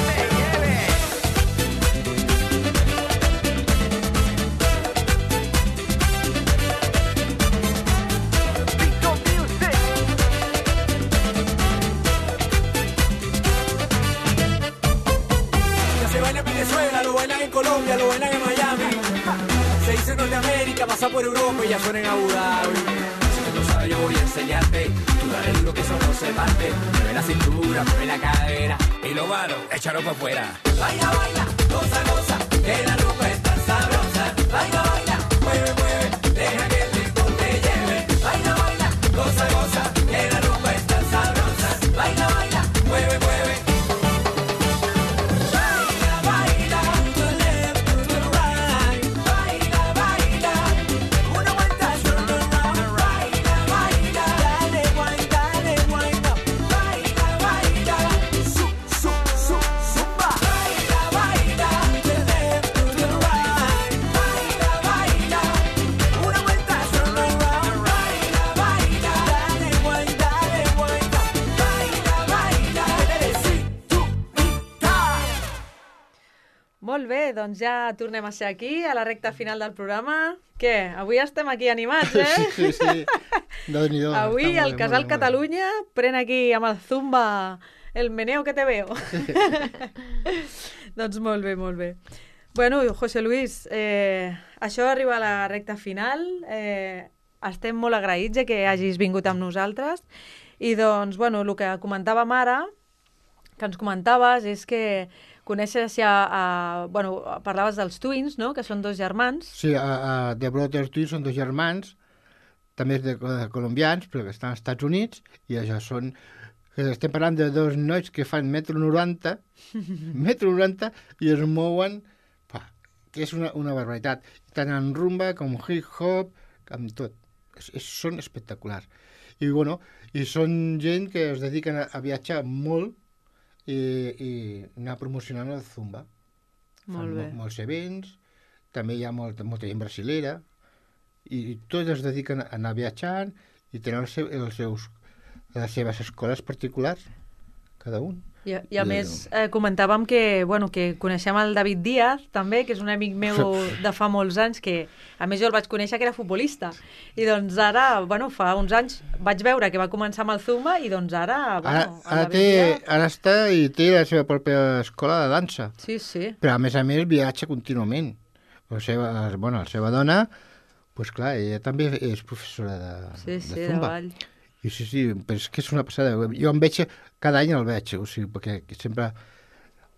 Me lleve. Pico Music. Ya se baila en Venezuela, lo bailan en Colombia, lo bailan en Miami. Se dice en Norteamérica, pasa por Europa y ya suena en Abu Dhabi. Si tú no sabes, yo voy a enseñarte. Tú dale duro que eso no se parte. Mueve la cintura, mueve la cadera. Y lo malo, échalo para afuera. Baila, baila, goza, goza, que la rumba está sabrosa. Baila, baila, mueve, mueve, deja que el ritmo te lleve. Baila, baila, goza, goza, que la rumba está sabrosa. Baila, baila, mueve, mueve. Baila, baila, to the left, to the right. Baila, baila, una vuelta, turn around. Baila, baila, dale, wine, dale, wind up. Baila, baila, su, su, su, zumba. Baila, baila, to the left, to the right. Baila, baila, una vuelta, turn around. Baila, baila, dale, wine, dale, wind up. Baila, baila, cinturita. Molt bé, doncs ja tornem a ser aquí, a la recta final del programa. Què? Avui estem aquí animats, eh? Sí, sí. Déu-n'hi-do. Avui Està el molt bé, Casal molt bé, molt bé. Catalunya pren aquí amb el Zumba el meneo que te veo. Doncs molt bé, molt bé. Bueno, José Luis, eh, això arriba a la recta final. Eh, estem molt agraïts de que hagis vingut amb nosaltres. I doncs, bueno, el que comentàvem ara, que ens comentaves, és que coneixes ja, a, bueno, parlaves dels Twins, no?, que són dos germans. Sí, a, a The Brothers Twins són dos germans, també de, de colombians, però que estan als Estats Units, i això són... que estem parlant de dos nois que fan metro noranta, metro noranta, i es mouen, pa, que és una, una barbaritat, tant en rumba com hip-hop, amb tot. És, és, són espectaculars. I, bueno, i són gent que es dediquen a, a viatjar molt i, i anar promocionant el Zumba. Molt Fan bé. mo- molts events, també hi ha molta, molta gent brasilera, i, i tots es dediquen a anar viatjant i tenen els, seu, els seus, les seves escoles particulars, cada un. I, i a I- més, eh, comentàvem que, bueno, que coneixem el David Díaz, també, que és un amic meu de fa molts anys, que a més jo el vaig conèixer que era futbolista. I doncs ara, bueno, fa uns anys vaig veure que va començar amb el Zumba i doncs ara, Ara, bueno, el ara, David té, Díaz... ara està i té la seva pròpia escola de dansa, Sí, sí. però a més a més viatja contínuament. La seva, bueno, la seva dona, pues clar, ella també és professora de, Sí, de sí, de Zumba. ball. I sí, sí, però és que és una passada. Jo em veig, cada any el veig, o sigui, perquè sempre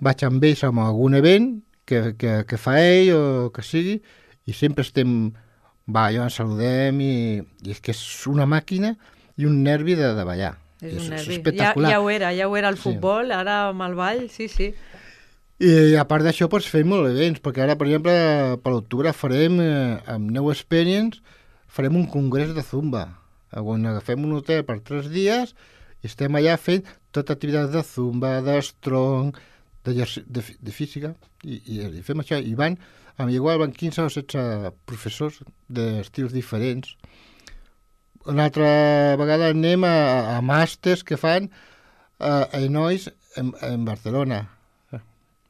vaig amb ells amb algun event que, que, que fa ell o que sigui, i sempre estem, va, allò ens saludem, i, i és que és una màquina i un nervi de, de ballar. És un nervi. Ja, espectacular. ja ho era, ja ho era el Sí. futbol, ara amb el ball, sí, sí. I a part d'això, doncs, fem molts events, perquè ara, per exemple, per l'octubre farem, eh, amb New Experience, farem un congrés de Zumba, on agafem un hotel per tres dies i estem allà fent tota activitat de Zumba, de strong, de, exerci- de, fi- de física, i, i, i fem això. I van, amb igual van quinze o setze professors d'estils diferents. Una altra vegada anem a, a màsters que fan a, a nois en, en Barcelona.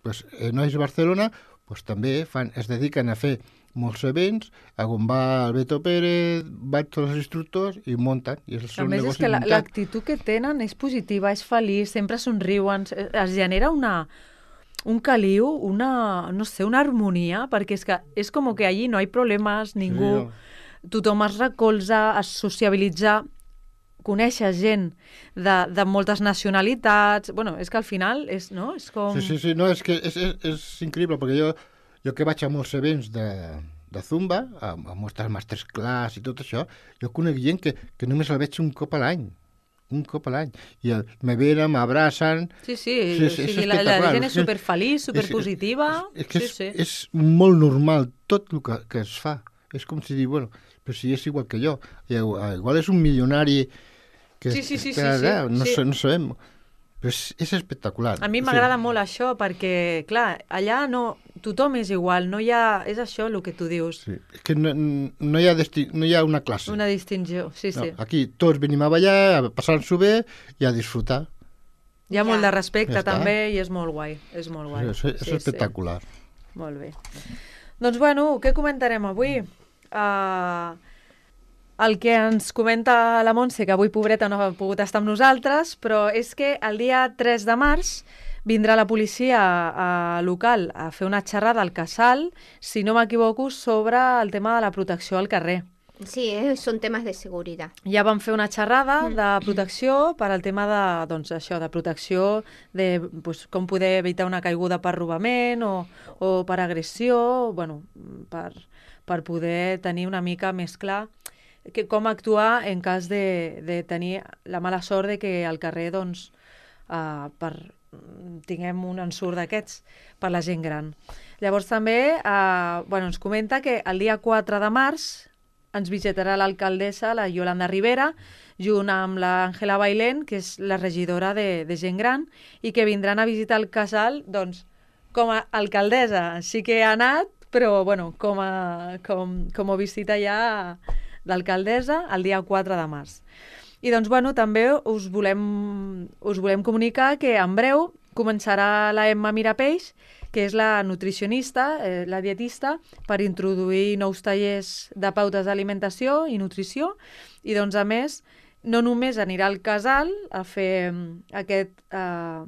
Pues, en Nois Barcelona pues, també fan, es dediquen a fer molts events, on va el Beto Pérez, van tots els instructors i munten. I és el A seu més, és negoci que la- muntat. l'actitud que tenen és positiva, és feliç, sempre somriuen, es es genera una, un caliu, una, no sé, una harmonia, perquè és que és com que allí no hi ha problemes, ningú, tothom es recolza, es sociabilitza, coneixes gent de, de moltes nacionalitats, bueno, és que al final és, no? És com... Sí, sí, sí, no, és que és, és, és increïble, perquè jo, jo que vaig a molts events de, de Zumba, a, a moltes masterclass i tot això, jo conec gent que, que només la veig un cop a l'any, un cop a l'any, i el, me venen, m'abracen... Sí, sí, Sí, o sí, és sigui, la, la espectacular. gent és superfeliç, superpositiva, És, és, que sí, és, sí. és molt normal tot el que, que es fa. És com si dir, bueno, però si és igual que jo. I, igual és un milionari que Sí, sí, sí, que, sí, sí, allà, no, sí. sa- no sabem. Però és, és espectacular. A mi O m'agrada sigui, molt això perquè, clar, allà no, tothom és igual, no hi ha... És això el que tu dius, Sí. És que no, no, hi ha desti... no hi ha una classe. una distinció. Sí, sí. No, aquí tots venim a ballar, a passar-s'ho bé i a disfrutar. Hi ha Ja. molt de respecte Ja està. també i és molt guai, és molt guai. És, és Sí, espectacular. Sí. Molt bé. Doncs bueno, què comentarem avui? Uh, el que ens comenta la Montse, que avui pobreta no ha pogut estar amb nosaltres, però és que el dia tres de març vindrà la policia a, local a fer una xerrada al Casal, si no m'equivoco, sobre el tema de la protecció al carrer. Sí, eh, son temas de seguridad. Ja vam fer una xerrada de protecció per al tema de, doncs, això, de protecció, de pues, com poder evitar una caiguda per robament o, o per agressió, bueno, per, per poder tenir una mica més clar que, com actuar en cas de, de tenir la mala sort de que al carrer doncs, uh, per, tinguem un ensurt d'aquests per la gent gran. Llavors també uh, bueno, ens comenta que el dia quatre de març ens visitarà l'alcaldessa, la Yolanda Rivera, junt amb l'Àngela Bailén, que és la regidora de, de gent gran, i que vindran a visitar el casal doncs, com a alcaldessa. Sí que ha anat, però bueno, com, a, com, com a visita ja d'alcaldessa el dia quatre de març. I doncs, bueno, també us volem, us volem comunicar que en breu començarà la Emma Mirapeix, que és la nutricionista, eh, la dietista, per introduir nous tallers de pautes d'alimentació i nutrició. I doncs, a més, no només anirà al casal a fer aquest, eh,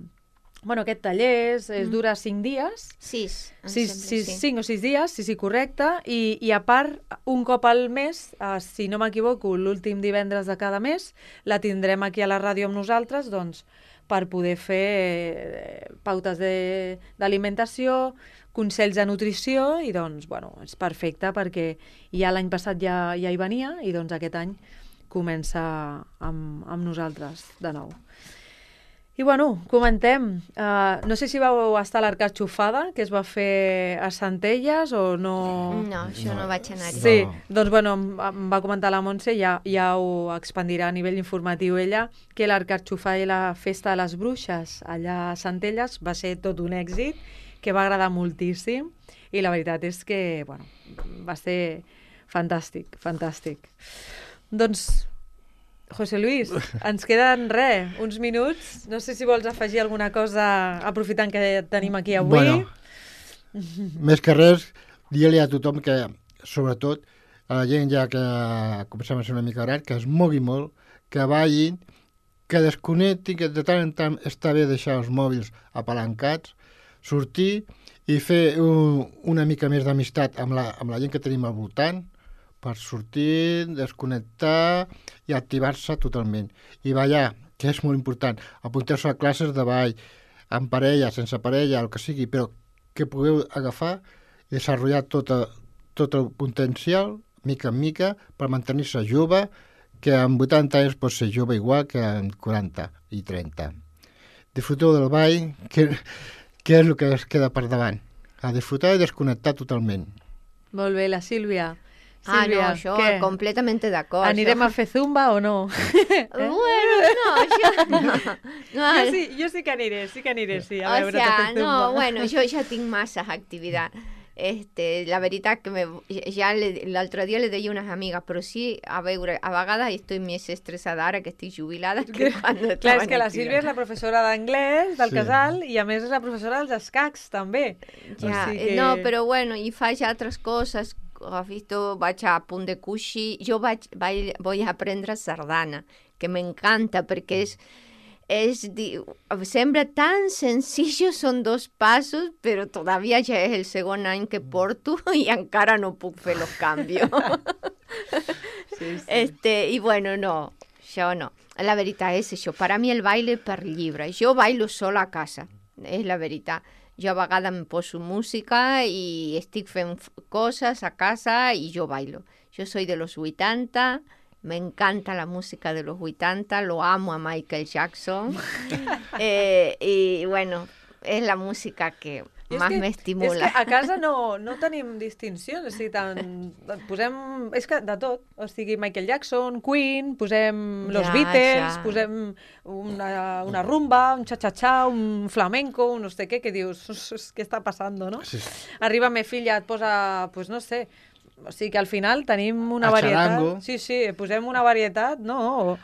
bueno, aquest taller, es, es dura cinc dies, Sis, em sis, sembla, sis, sí. cinc o sis dies, sí, sí, correcte, i, i a part, un cop al mes, eh, si no m'equivoco, l'últim divendres de cada mes, la tindrem aquí a la ràdio amb nosaltres, doncs, per poder fer eh, pautes de- d'alimentació, consells de nutrició, i doncs, bueno, és perfecte perquè ja l'any passat ja, ja hi venia i doncs aquest any comença amb, amb nosaltres de nou. I bueno, comentem. Uh, no sé si vau estar a l'Arcatxofada, que es va fer a Centelles o no... No, jo no, vaig anar-hi. Sí, No. doncs bueno, em, em va comentar la Montse, ja, ja ho expandirà a nivell informatiu ella, que l'Arcatxofada i la Festa de les Bruixes allà a Centelles va ser tot un èxit, que va agradar moltíssim, i la veritat és que, bueno, va ser fantàstic, fantàstic. Doncs, José Luis, ens queden res, uns minuts. No sé si vols afegir alguna cosa aprofitant que et tenim aquí avui. Bueno, més que res, dir-li a tothom que, sobretot, a la gent ja que comencem a ser una mica gran, que es mogui molt, que ballin, que desconnectin, que de tant en tant està bé deixar els mòbils apalancats, sortir i fer un, una mica més d'amistat amb, la, amb la gent que tenim al voltant, per sortir, desconnectar i activar-se totalment. I ballar, que és molt important, apuntar-se a classes de ball, amb parella, sense parella, el que sigui, però que pugueu agafar i desenvolupar tot, a, tot el potencial, mica en mica, per mantenir-se jove, que amb vuitanta anys pot ser jove igual que amb quaranta i trenta. Disfruteu del ball, que, que és el que es queda per davant. A disfrutar i desconnectar totalment. Molt bé, la Sílvia. Ah, no, Sílvia, jo què? completamente d'acord. Anirem jo... a fer zumba o no? Bueno, no, jo... No, no, Jo sí, jo sí que aniré, sí que aniré, sí, a o veure, sea, a fer zumba. no, bueno, jo ja tinc masses activitat. Este, la veritat que me, ja le- l'altre dia le deia a unes amigues, però sí, a veure, a vegades estic més estressada ara que estic jubilada que quan Clar, estava és que la Sílvia és la professora d'anglès del Sí. casal i a més és la professora dels escacs, també. Ja, O sigui eh, que- no, però bueno, i faig altres coses. Has visto, vaig a punt de cuixi. Jo vaig, vaig, voy a aprendre sardana, que m'encanta perquè és, és, di- sembla tan sencillo, són dos passos, però todavía ja és el segon any que porto i encara no puc fer los canvios. Sí, sí. Este, i bueno, no, jo no. La veritat és això, per a mi el baile per llibre. Jo bailo sola a casa, és la veritat. Jo a vegades em poso música i estic fent f- coses a casa i jo bailo. Jo soy de los vuitanta, me encanta la música de los vuitanta, lo amo a Michael Jackson. eh, y bueno, es la música que I és más que- me És estimula. que a casa no, no tenim distincions, o sigui, tant, posem, és que de tot, o sigui, Michael Jackson, Queen, posem Los Ja, Beatles, ja. posem una, una rumba, un cha-cha-cha, un flamenco, un no sé què, que dius, què està passant, no? Sí, sí. Arriba me filla, et posa, pues no sé, o sigui que al final tenim una A varietat. charango. Sí, sí, posem una varietat, no?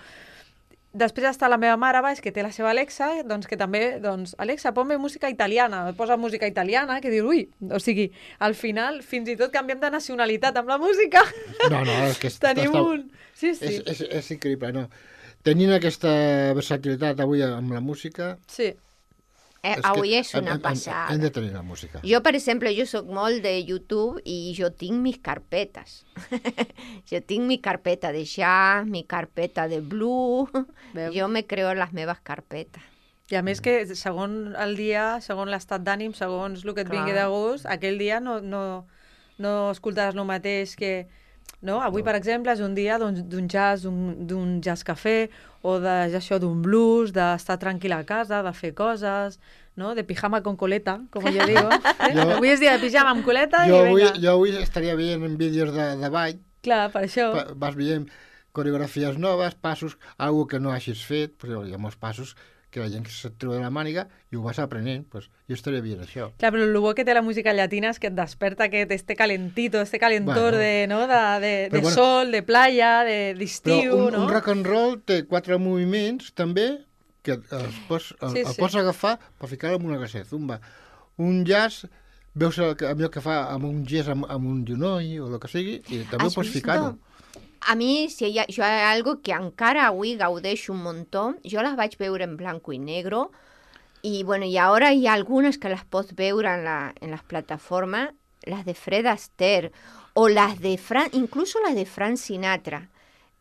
Després està la meva mare baix, que té la seva Alexa, doncs que també, doncs, Alexa, ponme música italiana, posa música italiana, que dius, ui, o sigui, al final fins i tot canviem de nacionalitat amb la música. No, no, és que Tenim està- un... Sí, sí. És, és, és increïble, no? Tenint aquesta versatilitat avui amb la música... Sí. Eh, és que avui és hem- una hem- hem- passada. Hem de tenir la música. Jo, per exemple, jo sóc molt de YouTube i jo tinc mis carpetes. Jo tinc mi carpeta de jazz, mi carpeta de blues. Veus? Jo me creo les meves carpetes. I a més que segons el dia, segons l'estat d'ànim, segons el que et Clar. vingui de gust, aquell dia no, no, no escoltaràs el mateix que... No? Avui, per exemple, és un dia d'un d'un jazz, d'un d'un jazz cafè, o de, ja això, d'un blues, d'estar tranquil a casa, de fer coses, no? De pijama con coleta, com jo digo. Eh? Jo- Avui és dia de pijama amb coleta Jo i avui, vinga. jo avui estaria veient en vídeos de, de ball, Clar, per això. pa- vas veient coreografies noves, passos, algo que no hagis fet, perquè hi ha molts passos que la gent que se't treu de la màniga i ho vas aprenent, pues, jo estaria veient això. Clar, però el bo que té la música llatina és que et desperta aquest este calentito, este calentor Bueno. de, no? de, de, de Però bueno. sol, de playa, de- Però d'estiu, un, no? un rock and roll té quatre moviments també que els pots, el, Sí, el sí. pots agafar per ficar-lo en una classe de zumba. Un jazz, veus el, que- allò que fa amb un gest amb, amb un genoll o el que sigui, i també Has ho pots visto? ficar-ho. A mi, si hi ha, jo hi ha algo que encara avui gaudeixo un muntó, jo les vaig veure en blanco i negro, i bueno, y ahora hay algunas que las pots veure en, la, en las plataformas, las de Fred Astaire, o las de Fran, incluso las de Frank Sinatra.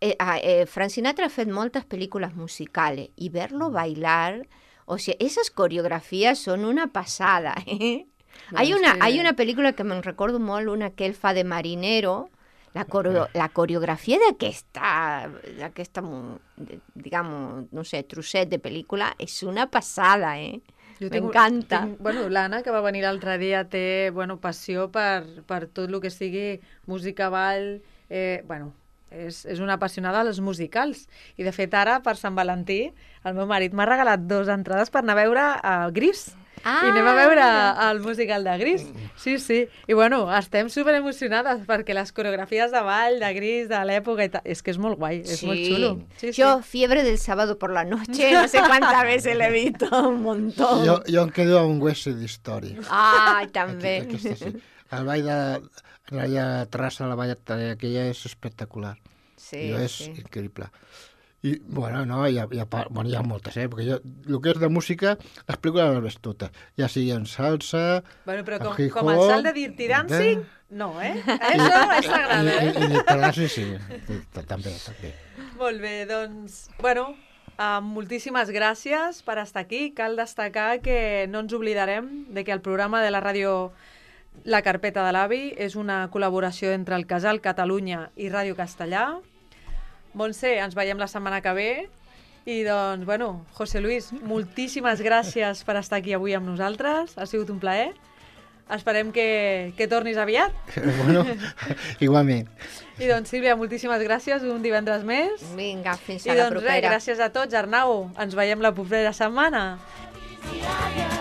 Eh, ah, eh, Frank Sinatra ha fet moltes pel·lícules musicales, y verlo bailar, o sea, esas coreografías son una pasada, ¿eh? Hay Doncs una, sí. hay una pel·lícula que me'n recordo molt, una que ell fa de marinero, la, coreo, la coreografia d'aquesta, d'aquesta, mu- de- digamos, no sé, trosset de pel·lícula és una passada, eh? Jo tinc- M'encanta. tinc- Bueno, l'Anna, que va venir l'altre dia, té bueno, passió per, per tot el que sigui música, ball... Eh, bueno, és, és una apassionada dels musicals. I, de fet, ara, per Sant Valentí, el meu marit m'ha regalat dos entrades per anar a veure uh, Gris. Ah, I anem a veure mira. el musical de Gris. Sí, sí. I, bueno, estem super emocionades perquè les coreografies de ball, de Gris, de l'època i tal... És que és molt guai, és molt xulo. Sí, Yo, Fiebre del sábado por la noche, no sé cuántas veces le he visto, un montón. Jo, jo em quedo amb West Side Story. Ah, Aquí, també. aquesta sí. El ball de la terrassa de la vall aquella és espectacular. Sí, I és sí. increïble. I, bueno, no, hi ha, hi ha, pa- bueno, hi ha moltes, eh? Perquè jo, el que és de música, les pel·lícules les ves totes. Ja sigui en salsa... Bueno, però com, hip com el hop, salt de Dirty Dancing, no, eh? Això és sagrada, I, eh? i, i de terrassa, sí, sí, també, també. Molt bé, doncs, bueno, uh, moltíssimes gràcies per estar aquí. Cal destacar que no ens oblidarem de que el programa de la ràdio La Carpeta de l'Avi és una col·laboració entre el Casal Catalunya i Ràdio Castellà. Montse, ens veiem la setmana que ve. I doncs, bueno, José Luis, moltíssimes gràcies per estar aquí avui amb nosaltres. Ha sigut un plaer. Esperem que, que tornis aviat. Bueno, igualment. I doncs, Sílvia, moltíssimes gràcies un divendres més. Vinga, fins I a la doncs res, propera. gràcies a tots. Arnau, ens veiem la propera setmana. Sí, señor.